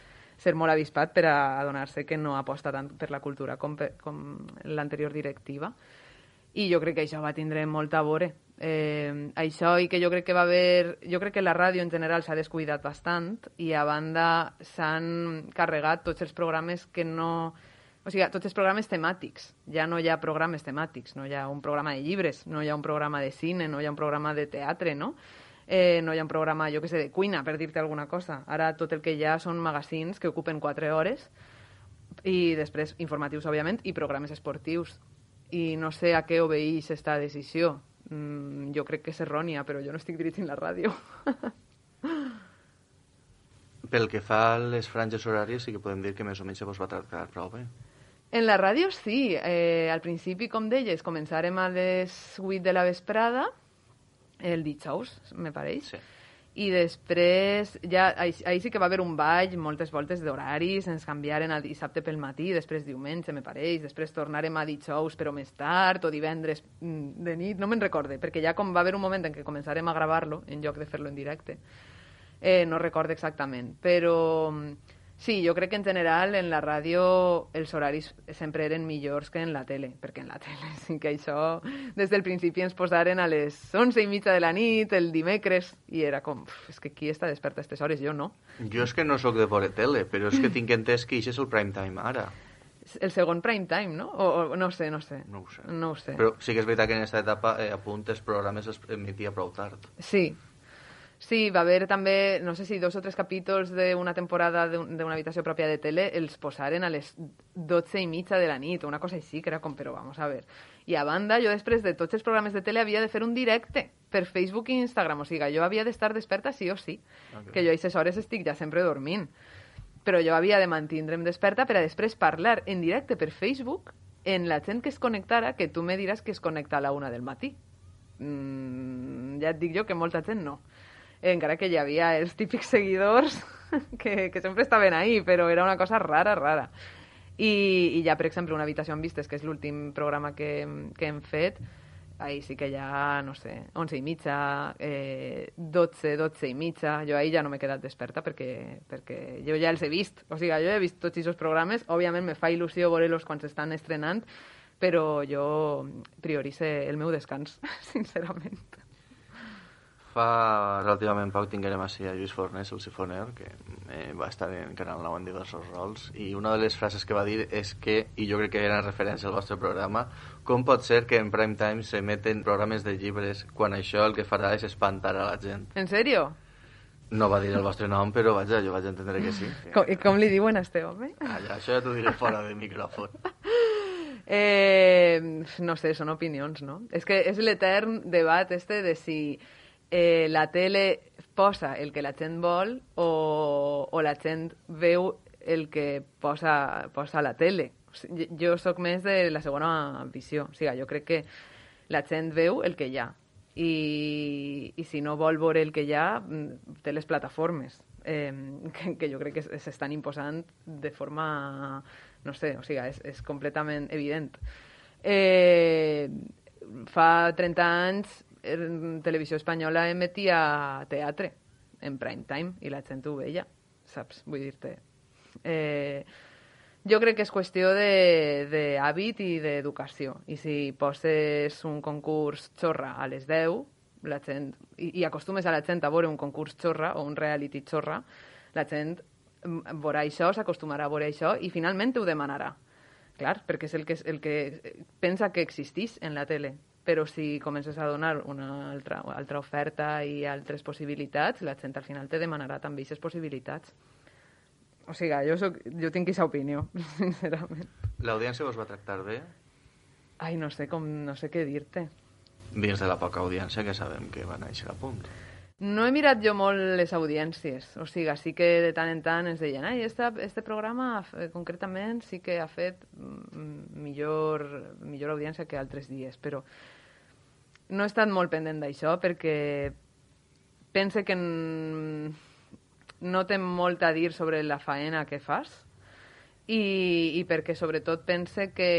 ser molt avispat per a adonar-se que no aposta tant per la cultura com, per, com l'anterior directiva. I jo crec que això va tindre molt a veure. Eh, això i que jo crec que va haver... Jo crec que la ràdio en general s'ha descuidat bastant i a banda s'han carregat tots els programes que no... O sigui, tots els programes temàtics. Ja no hi ha programes temàtics, no hi ha un programa de llibres, no hi ha un programa de cine, no hi ha un programa de teatre, no? Eh, no hi ha un programa, jo què sé, de cuina, per dir-te alguna cosa. Ara tot el que hi ha són magazines que ocupen quatre hores i després informatius, òbviament, i programes esportius. I no sé a què obeeix aquesta decisió. Mm, jo crec que és errònia, però jo no estic dirigint la ràdio. Pel que fa a les franges horàries, sí que podem dir que més o menys se vos va tractar prou bé. En la ràdio sí. Eh, al principi, com deies, començarem a les vuit de la vesprada, el dijous, me pareix. Sí. I després, ja, ahí, ahí sí que va haver un ball, moltes voltes d'horaris, ens canviaren a dissabte pel matí, després diumenge, me pareix, després tornarem a dijous però més tard, o divendres de nit, no me'n recorde, perquè ja com va haver un moment en què començarem a gravar-lo, en lloc de fer-lo en directe, eh, no recorde exactament, però sí, jo crec que en general en la ràdio els horaris sempre eren millors que en la tele, perquè en la tele sí que això des del principi ens posaren a les onze i mitja de la nit, el dimecres, i era com, és que qui està desperta a aquestes hores? Jo no. Jo és que no sóc de veure tele, però és que tinc entès que això és el prime time ara. El segon prime time, no? O, o no sé, no sé. No ho sé. No ho sé. Però sí que és veritat que en aquesta etapa eh, a punt els programes es emetia prou tard. Sí. Sí, va haver també, no sé si dos o tres capítols d'una temporada d'una habitació pròpia de tele els posaren a les dotze i mitja de la nit, una cosa així, que era com, però vamos a ver. I a banda, jo després de tots els programes de tele havia de fer un directe per Facebook i Instagram, o sigui, jo havia d'estar desperta sí o sí, okay. Que jo a aquestes hores estic ja sempre dormint. Però jo havia de mantindre'm desperta per a després parlar en directe per Facebook en la gent que es connectara, que tu me diràs que es connecta a la una del matí. Mm, ja et dic jo que molta gent no. Encara que hi havia els típics seguidors que, que sempre estaven ahí, però era una cosa rara, rara. I, i ja, per exemple, Una habitació amb vistes, que és l'últim programa que, que hem fet, ahí sí que ja, no sé, onze i mitja, eh, dotze, dotze i mitja, jo ahí ja no m'he quedat desperta perquè, perquè jo ja els he vist. O sigui, jo he vist tots aquests programes, òbviament me fa il·lusió veure-los quan s'estan estrenant, però jo priorice el meu descans, sincerament. Fa relativament poc tinguérem així a Lluís Fornés, el sifoner, que eh, va estar en Canal nou en diversos rols, i una de les frases que va dir és que, i jo crec que era en referència al vostre programa, com pot ser que en prime time s'emeten programes de llibres quan això el que farà és espantar a la gent? En sèrio? No va dir el vostre nom, però vaja, jo vaig entendre que sí. Que... Com, I com li diuen a este home? Ah, ja, això ja t'ho diré fora de micròfon. Eh, no sé, són opinions, no? És que és l'etern debat este de si eh, la tele posa el que la gent vol o, o la gent veu el que posa, posa la tele. O sigui, jo sóc més de la segona visió. O sigui, jo crec que la gent veu el que hi ha. I, i si no vol veure el que hi ha, té les plataformes, eh, que, que jo crec que s'estan imposant de forma... No sé, o sigui, és, és completament evident. Eh, fa trenta anys en Televisió Espanyola emetia teatre en prime time i la gent ho veia, saps? Vull dir-te. Eh, jo crec que és qüestió d'hàbit i d'educació. I si poses un concurs xorra a les deu, la gent, i, i acostumes a la gent a veure un concurs xorra o un reality xorra, la gent veurà això, s'acostumarà a veure això i finalment ho demanarà. Clar, perquè és el que, el que pensa que existís en la tele. Però si comences a donar una altra, altra oferta i altres possibilitats, la gent al final te demanarà també aquestes possibilitats. O sigui, jo, soc, jo tinc aquesta opinió, sincerament. L'audiència vos va tractar bé? Ai, no sé, com, no sé què dir-te. Dins de la poca audiència que sabem que va néixer a Punt. No he mirat jo molt les audiències, o sigui, sí que de tant en tant ens deien ai, este, este programa eh, concretament sí que ha fet millor, millor audiència que altres dies, però no he estat molt pendent d'això perquè pense que no té molt a dir sobre la faena que fas i, i perquè sobretot pense que,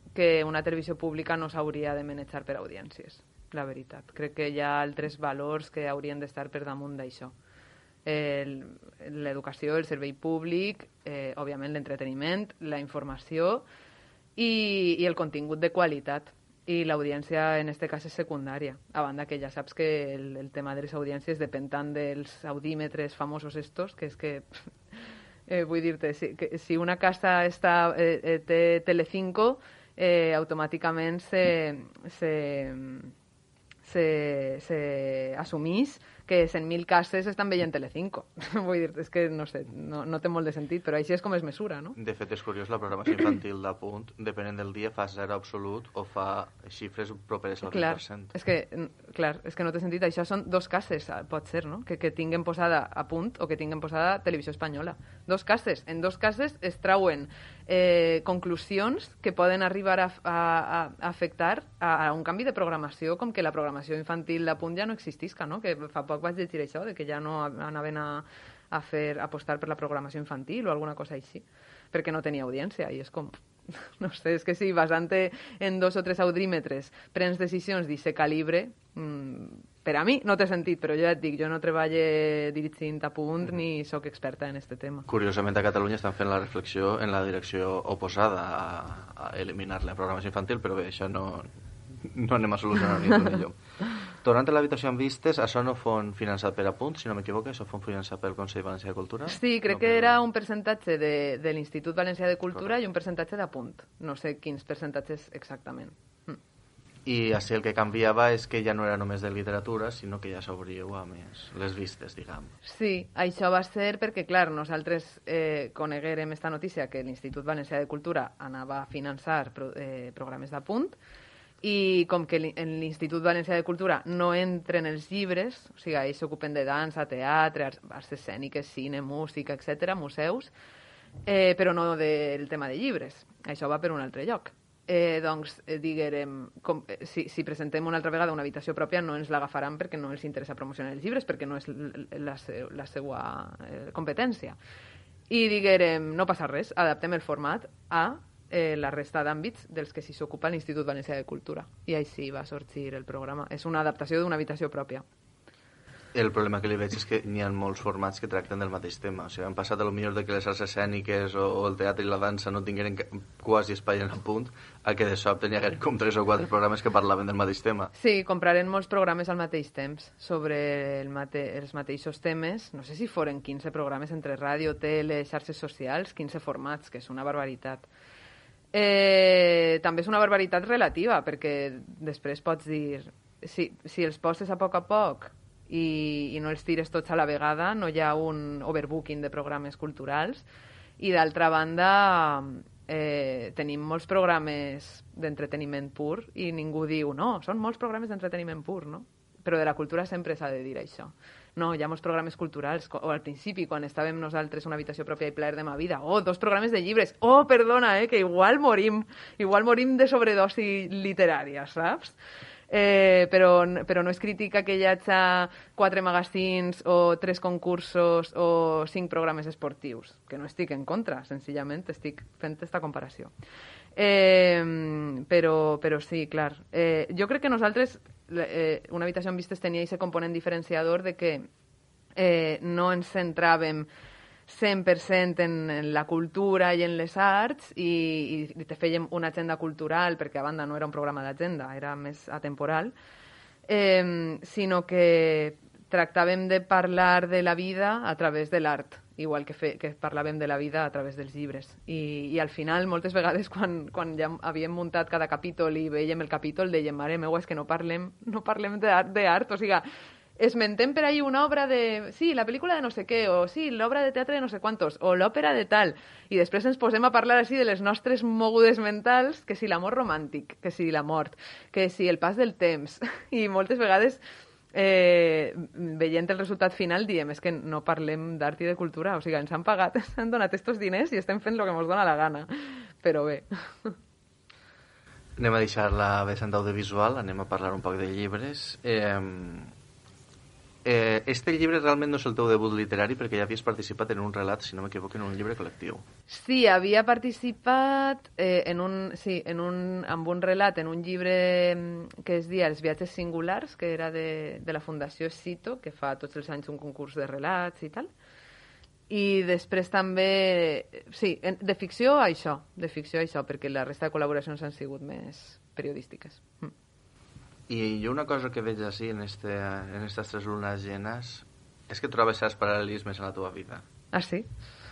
que una televisió pública no s'hauria de manejar per audiències. La veritat. Crec que hi ha altres valors que haurien d'estar per damunt d'això. L'educació, el servei públic, eh, òbviament l'entreteniment, la informació i, i el contingut de qualitat. I l'audiència en aquest cas és secundària. A banda que ja saps que el, el tema de les audiències depèn tant dels audímetres famosos estos, que és que... Eh, vull dir-te, si, que, si una casa està, eh, té Telecinco, eh, automàticament se... se se, se assumís que cent mil cases estan veient Telecinco. Vull dir, és que no sé, no, no té molt de sentit, però així és com es mesura, no? De fet, és curiós, la programació infantil de Punt, depenent del dia, fa zero absolut o fa xifres properes al vint per cent. És que, clar, és que no té sentit. Això són dos cases, pot ser, no? Que, que tinguin posada a Punt o que tinguin posada Televisió Espanyola. Dos cases. En dos cases es trauen eh, conclusions que poden arribar a, a, a afectar a, a un canvi de programació, com que la programació infantil de Punt ja no existisca, no? Que fa poc vaig llegir això, de que ja no anaven a, a fer apostar per la programació infantil o alguna cosa així, perquè no tenia audiència, i és com... No sé, és que si basant-te en dos o tres audímetres prens decisions d'aquest calibre, mmm, per a mi no té sentit, però jo ja et dic, jo no treballo dirigint a Punt mm. ni sóc experta en aquest tema. Curiosament, a Catalunya estan fent la reflexió en la direcció oposada a, a eliminar la programació infantil, però bé, això no... no anem a solucionar ni tu ni jo. Tornant a l'habitació amb vistes, això no fon finançat per a Punt, si no m'equivoco, això fon finançat pel Consell Valencià de Cultura? Sí, crec no, que era un percentatge de, de l'Institut Valencià de Cultura Correcte. I un percentatge de Punt. No sé quins percentatges exactament. Mm. I així el que canviava és que ja no era només de literatura, sinó que ja s'obríeu a més les vistes, diguem. Sí, això va ser perquè, clar, nosaltres eh, coneguérem esta notícia que l'Institut Valencià de Cultura anava a finançar pro, eh, programes de Punt, i com que en l'Institut Valencià de Cultura no entren els llibres, o sigui, ells s'ocupen de dansa, teatre, arts escèniques, cine, música, etcètera, museus, eh, però no del tema de llibres. Això va per un altre lloc. Eh, doncs, eh, diguérem, com, eh, si, si presentem una altra vegada una habitació pròpia no ens l'agafaran perquè no els interessa promocionar els llibres, perquè no és la, la seva eh, competència. I diguérem, no passa res, adaptem el format a Eh, la resta d'àmbits dels que s'hi s'ocupa l'Institut Valencià de Cultura. I així va sorgir el programa. És una adaptació d'una habitació pròpia. El problema que li veig és que n'hi ha molts formats que tracten del mateix tema. O sigui, han passat a lo millor de que les arts escèniques o, o el teatre i la dansa no tingueren quasi espai en el Punt, a que de sobte n'hi hagueren com tres o quatre programes que parlaven del mateix tema. Sí, compraren molts programes al mateix temps sobre el mate els mateixos temes. No sé si foren quinze programes entre ràdio, tele, xarxes socials, quinze formats, que és una barbaritat. Eh, també és una barbaritat relativa, perquè després pots dir si, si els poses a poc a poc i, i no els tires tots a la vegada, no hi ha un overbooking de programes culturals, i d'altra banda eh, tenim molts programes d'entreteniment pur i ningú diu, no, són molts programes d'entreteniment pur, no? Però de la cultura sempre s'ha de dir això. No, hi ha molts programes culturals, o al principi, quan estàvem nosaltres una habitació pròpia i plaer de ma vida, oh, dos programes de llibres, oh, perdona, eh, que igual morim, igual morim de sobredosi literària, saps? Eh, però, però no és crítica que hi hagi quatre magazines o tres concursos o cinc programes esportius, que no estic en contra, senzillament estic fent aquesta comparació. Eh, però, però sí, clar. Eh, jo crec que nosaltres, eh, una habitació amb vistes tenia aquest component diferenciador de que eh, no ens centràvem cent per cent en, en la cultura i en les arts i, i te fèiem una agenda cultural, perquè a banda no era un programa d'agenda, era més atemporal, eh, sinó que tractàvem de parlar de la vida a través de l'art igual que, fe, que parlàvem de la vida a través dels llibres. I, i al final, moltes vegades, quan, quan ja havíem muntat cada capítol i veiem el capítol, dèiem, mare meua, és que no parlem, no parlem d'art, d'art, o sigui, esmentem per ahí una obra de... Sí, la pel·lícula de no sé què, o sí, l'obra de teatre de no sé quantos, o l'òpera de tal, i després ens posem a parlar així de les nostres mogudes mentals, que si l'amor romàntic, que si la mort, que si el pas del temps, i moltes vegades... Eh, veient el resultat final diem, és que no parlem d'art i de cultura, o sigui, ens han pagat, ens han donat estos diners i estem fent el que ens dona la gana, però bé. Anem a deixar la vessant audiovisual, anem a parlar un poc de llibres. Eh, eh, este llibre realment no és el teu debut literari perquè ja havies participat en un relat, si no m'equivoco, en un llibre col·lectiu. Sí, havia participat eh, en un, sí, en un, amb un relat, en un llibre que es deia Els viatges singulars, que era de, de la Fundació Cito, que fa tots els anys un concurs de relats i tal. I després també, sí, de ficció això, de ficció això, perquè la resta de col·laboracions han sigut més periodístiques. Mm. I jo una cosa que veig així en, este, en estas tres lunes llenes és que trobes certs paral·lelismes en la teva vida. Ah, sí?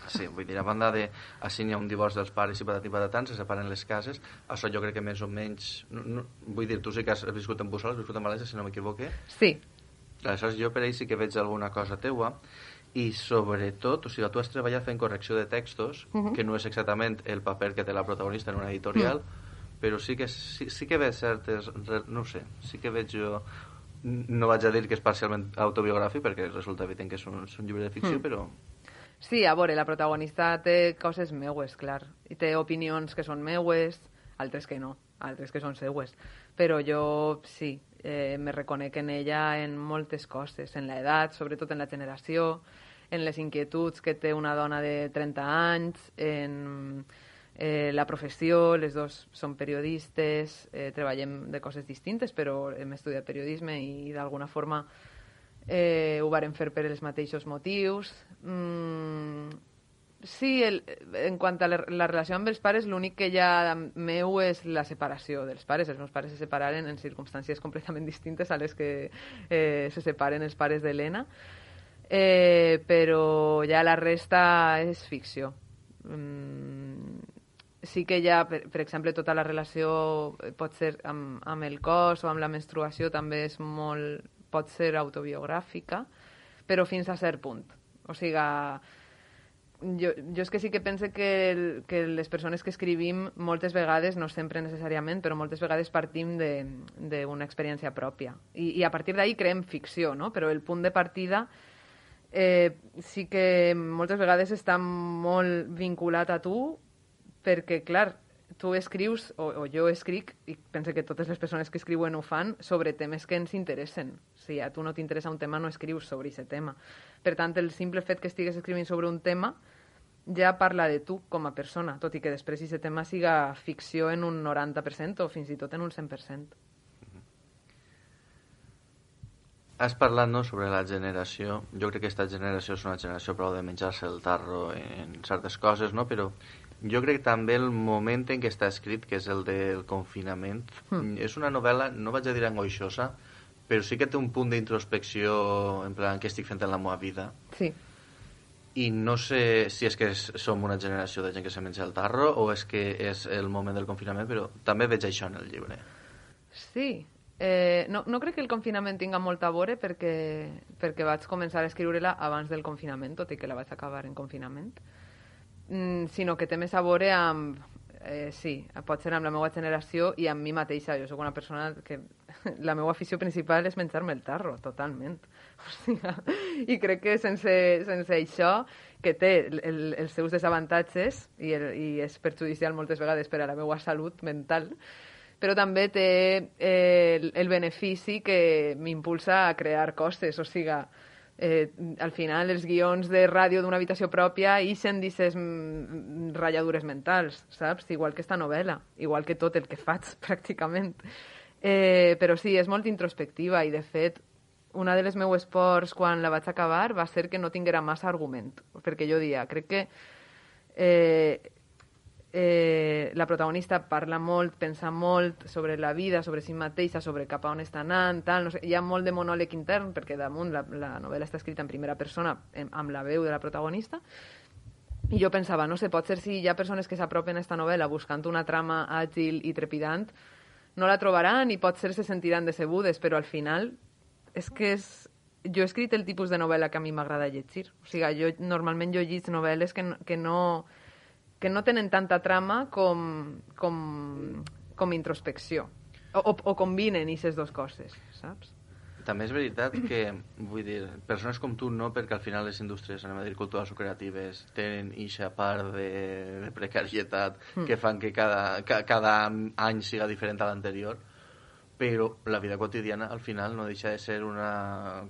Sí, vull dir, a banda de així n'hi ha un divorci dels pares i patat i patatans, se separen les cases, això jo crec que més o menys... No, no, vull dir, tu sí que has viscut en Bussol, has viscut en València, si no m'equivoque. Sí. Aleshores jo per ahí sí que veig alguna cosa teua i sobretot, o sigui, tu has treballat fent correcció de textos, uh-huh. que no és exactament el paper que té la protagonista en una editorial, uh-huh. però sí que, sí, sí que veig certes... No sé, sí que veig jo... No vaig a dir que és parcialment autobiogràfic, perquè resulta evident que és un, és un llibre de ficció, mm. però... Sí, a veure, la protagonista té coses meues, clar. I té opinions que són meues, altres que no, altres que són seues. Però jo, sí, eh, me reconec en ella en moltes coses, en l'edat, sobretot en la generació, en les inquietuds que té una dona de trenta anys, en... Eh, la professió, les dos són periodistes, eh, treballem de coses distintes, però hem estudiat periodisme i d'alguna forma eh, ho varen fer per els mateixos motius. Mm, sí, el, en quant a la, la relació amb els pares, l'únic que hi ha meu és la separació dels pares. Els meus pares se separaren en circumstàncies completament distintes a les que eh, se separen els pares d'Helena, eh, però ja la resta és ficció. Mm, sí que ja, per, per exemple, tota la relació pot ser amb, amb el cos o amb la menstruació també és molt, pot ser autobiogràfica, però fins a cert punt. O sigui, jo, jo és que sí que pense que, el, que les persones que escrivim moltes vegades, no sempre necessàriament, però moltes vegades partim d'una experiència pròpia. I, i a partir d'ahí creem ficció, no? Però el punt de partida eh, sí que moltes vegades està molt vinculat a tu, perquè, clar, tu escrius, o, o jo escric, i penso que totes les persones que escriuen ho fan, sobre temes que ens interessen. Si a tu no t'interessa un tema, no escrius sobre aquest tema. Per tant, el simple fet que estigues escrivint sobre un tema ja parla de tu com a persona, tot i que després aquest tema siga ficció en un noranta per cent o fins i tot en un cent per cent. Has parlat, no?, sobre la generació. Jo crec que aquesta generació és una generació prou de menjar-se el tarro en certes coses, no?, però jo crec també el moment en què està escrit, que és el del confinament, mm. és una novel·la, no vaig a dir angoixosa, però sí que té un punt d'introspecció, en plan, què estic fent en la meva vida. Sí. I no sé si és que és, som una generació de gent que se menja el tarro o és que és el moment del confinament, però també veig això en el llibre. Sí. Eh, no, no crec que el confinament tinga molt a veure perquè, perquè vaig començar a escriure-la abans del confinament, tot i que la vaig acabar en confinament. Mm, sinó que té més a veure amb, eh, sí, pot ser amb la meva generació i amb mi mateixa. Jo sóc una persona que la meva afició principal és menjar-me el tarro, totalment. O sigui, i crec que sense, sense això, que té el, els seus desavantatges i, el, i és perjudicial moltes vegades per a la meva salut mental, però també té eh, el, el benefici que m'impulsa a crear coses, o sigui, Eh, al final els guions de ràdio d'una habitació pròpia ixen d'aquestes mm, ratlladures mentals, saps? Igual que esta novel·la, igual que tot el que faig, pràcticament. Eh, però sí, és molt introspectiva i, de fet, una de les meues pors quan la vaig acabar va ser que no tinguera massa argument, perquè jo dia, crec que eh, eh, la protagonista parla molt, pensa molt sobre la vida, sobre si mateixa, sobre cap a on està anant, tal, no sé, hi ha molt de monòleg intern, perquè damunt la, la novel·la està escrita en primera persona, amb la veu de la protagonista, i jo pensava, no sé, pot ser si hi ha persones que s'apropen a esta novel·la buscant una trama àgil i trepidant, no la trobaran i pot ser se sentiran decebudes, però al final és que és... jo he escrit el tipus de novel·la que a mi m'agrada llegir. O sigui, jo normalment jo llegis novel·les que, que, no, que no tenen tanta trama com, com, com introspecció. O, o, o combinen aquestes dues coses, saps? També és veritat que, vull dir, persones com tu no, perquè al final les indústries, anem a dir, culturals o creatives tenen eixa part de, de precarietat mm. que fan que cada, ca, cada any siga diferent a l'anterior, però la vida quotidiana al final no deixa de ser una...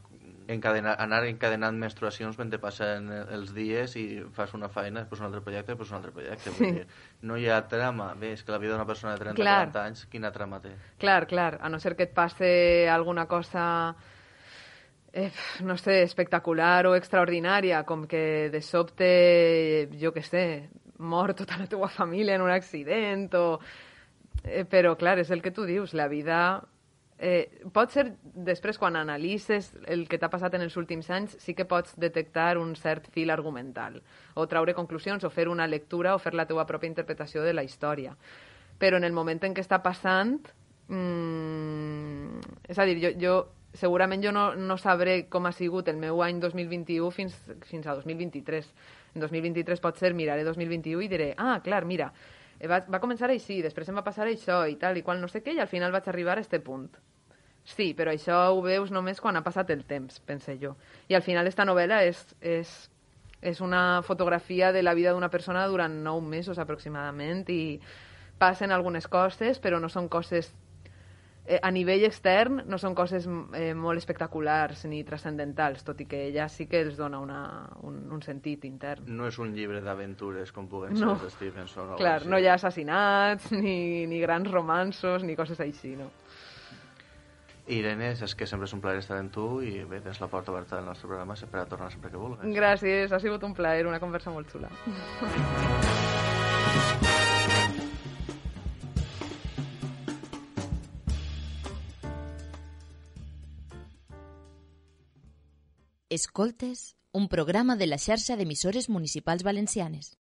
Encadenar, anar encadenant menstruacions mentre passen els dies i fas una feina, després un altre projecte, després un altre projecte. Sí. Vull dir, no hi ha trama. Bé, és que la vida d'una persona de trenta o quaranta anys, quina trama té? Clar, clar, a no ser que et passe alguna cosa, eh, no sé, espectacular o extraordinària, com que de sobte, jo què sé, mor tota la teva família en un accident, o... Eh, però, clar, és el que tu dius, la vida... Eh, pot ser, després, quan analitzes el que t'ha passat en els últims anys, sí que pots detectar un cert fil argumental, o traure conclusions, o fer una lectura, o fer la teua pròpia interpretació de la història. Però en el moment en què està passant... Mmm, és a dir, jo, jo segurament jo no, no sabré com ha sigut el meu any dos mil vint-i-u fins, fins a dos mil vint-i-tres. En dos mil vint-i-tres pot ser, miraré dos mil vint-i-u i diré, ah, clar, mira, va, va començar així, després em va passar això i tal, i qual no sé què, i al final vaig arribar a este punt. Sí, però això ho veus només quan ha passat el temps, pense jo. I al final esta novel·la és, és, és una fotografia de la vida d'una persona durant nou mesos aproximadament i passen algunes coses, però no són coses... Eh, a nivell extern no són coses eh, molt espectaculars ni transcendentals, tot i que ella sí que els dona una, un, un sentit intern. No és un llibre d'aventures com puguen no. ser de Stevenson. Clar, no hi ha assassinats, ni, ni grans romanços, ni coses així, no. Irene, és que sempre és un plaer estar amb tu i bé, tens la porta oberta del nostre programa per a tornar sempre que vulguis. Gràcies, ha sigut un plaer, una conversa molt xula. Escoltes, un programa de la xarxa d'emissores municipals valencianes.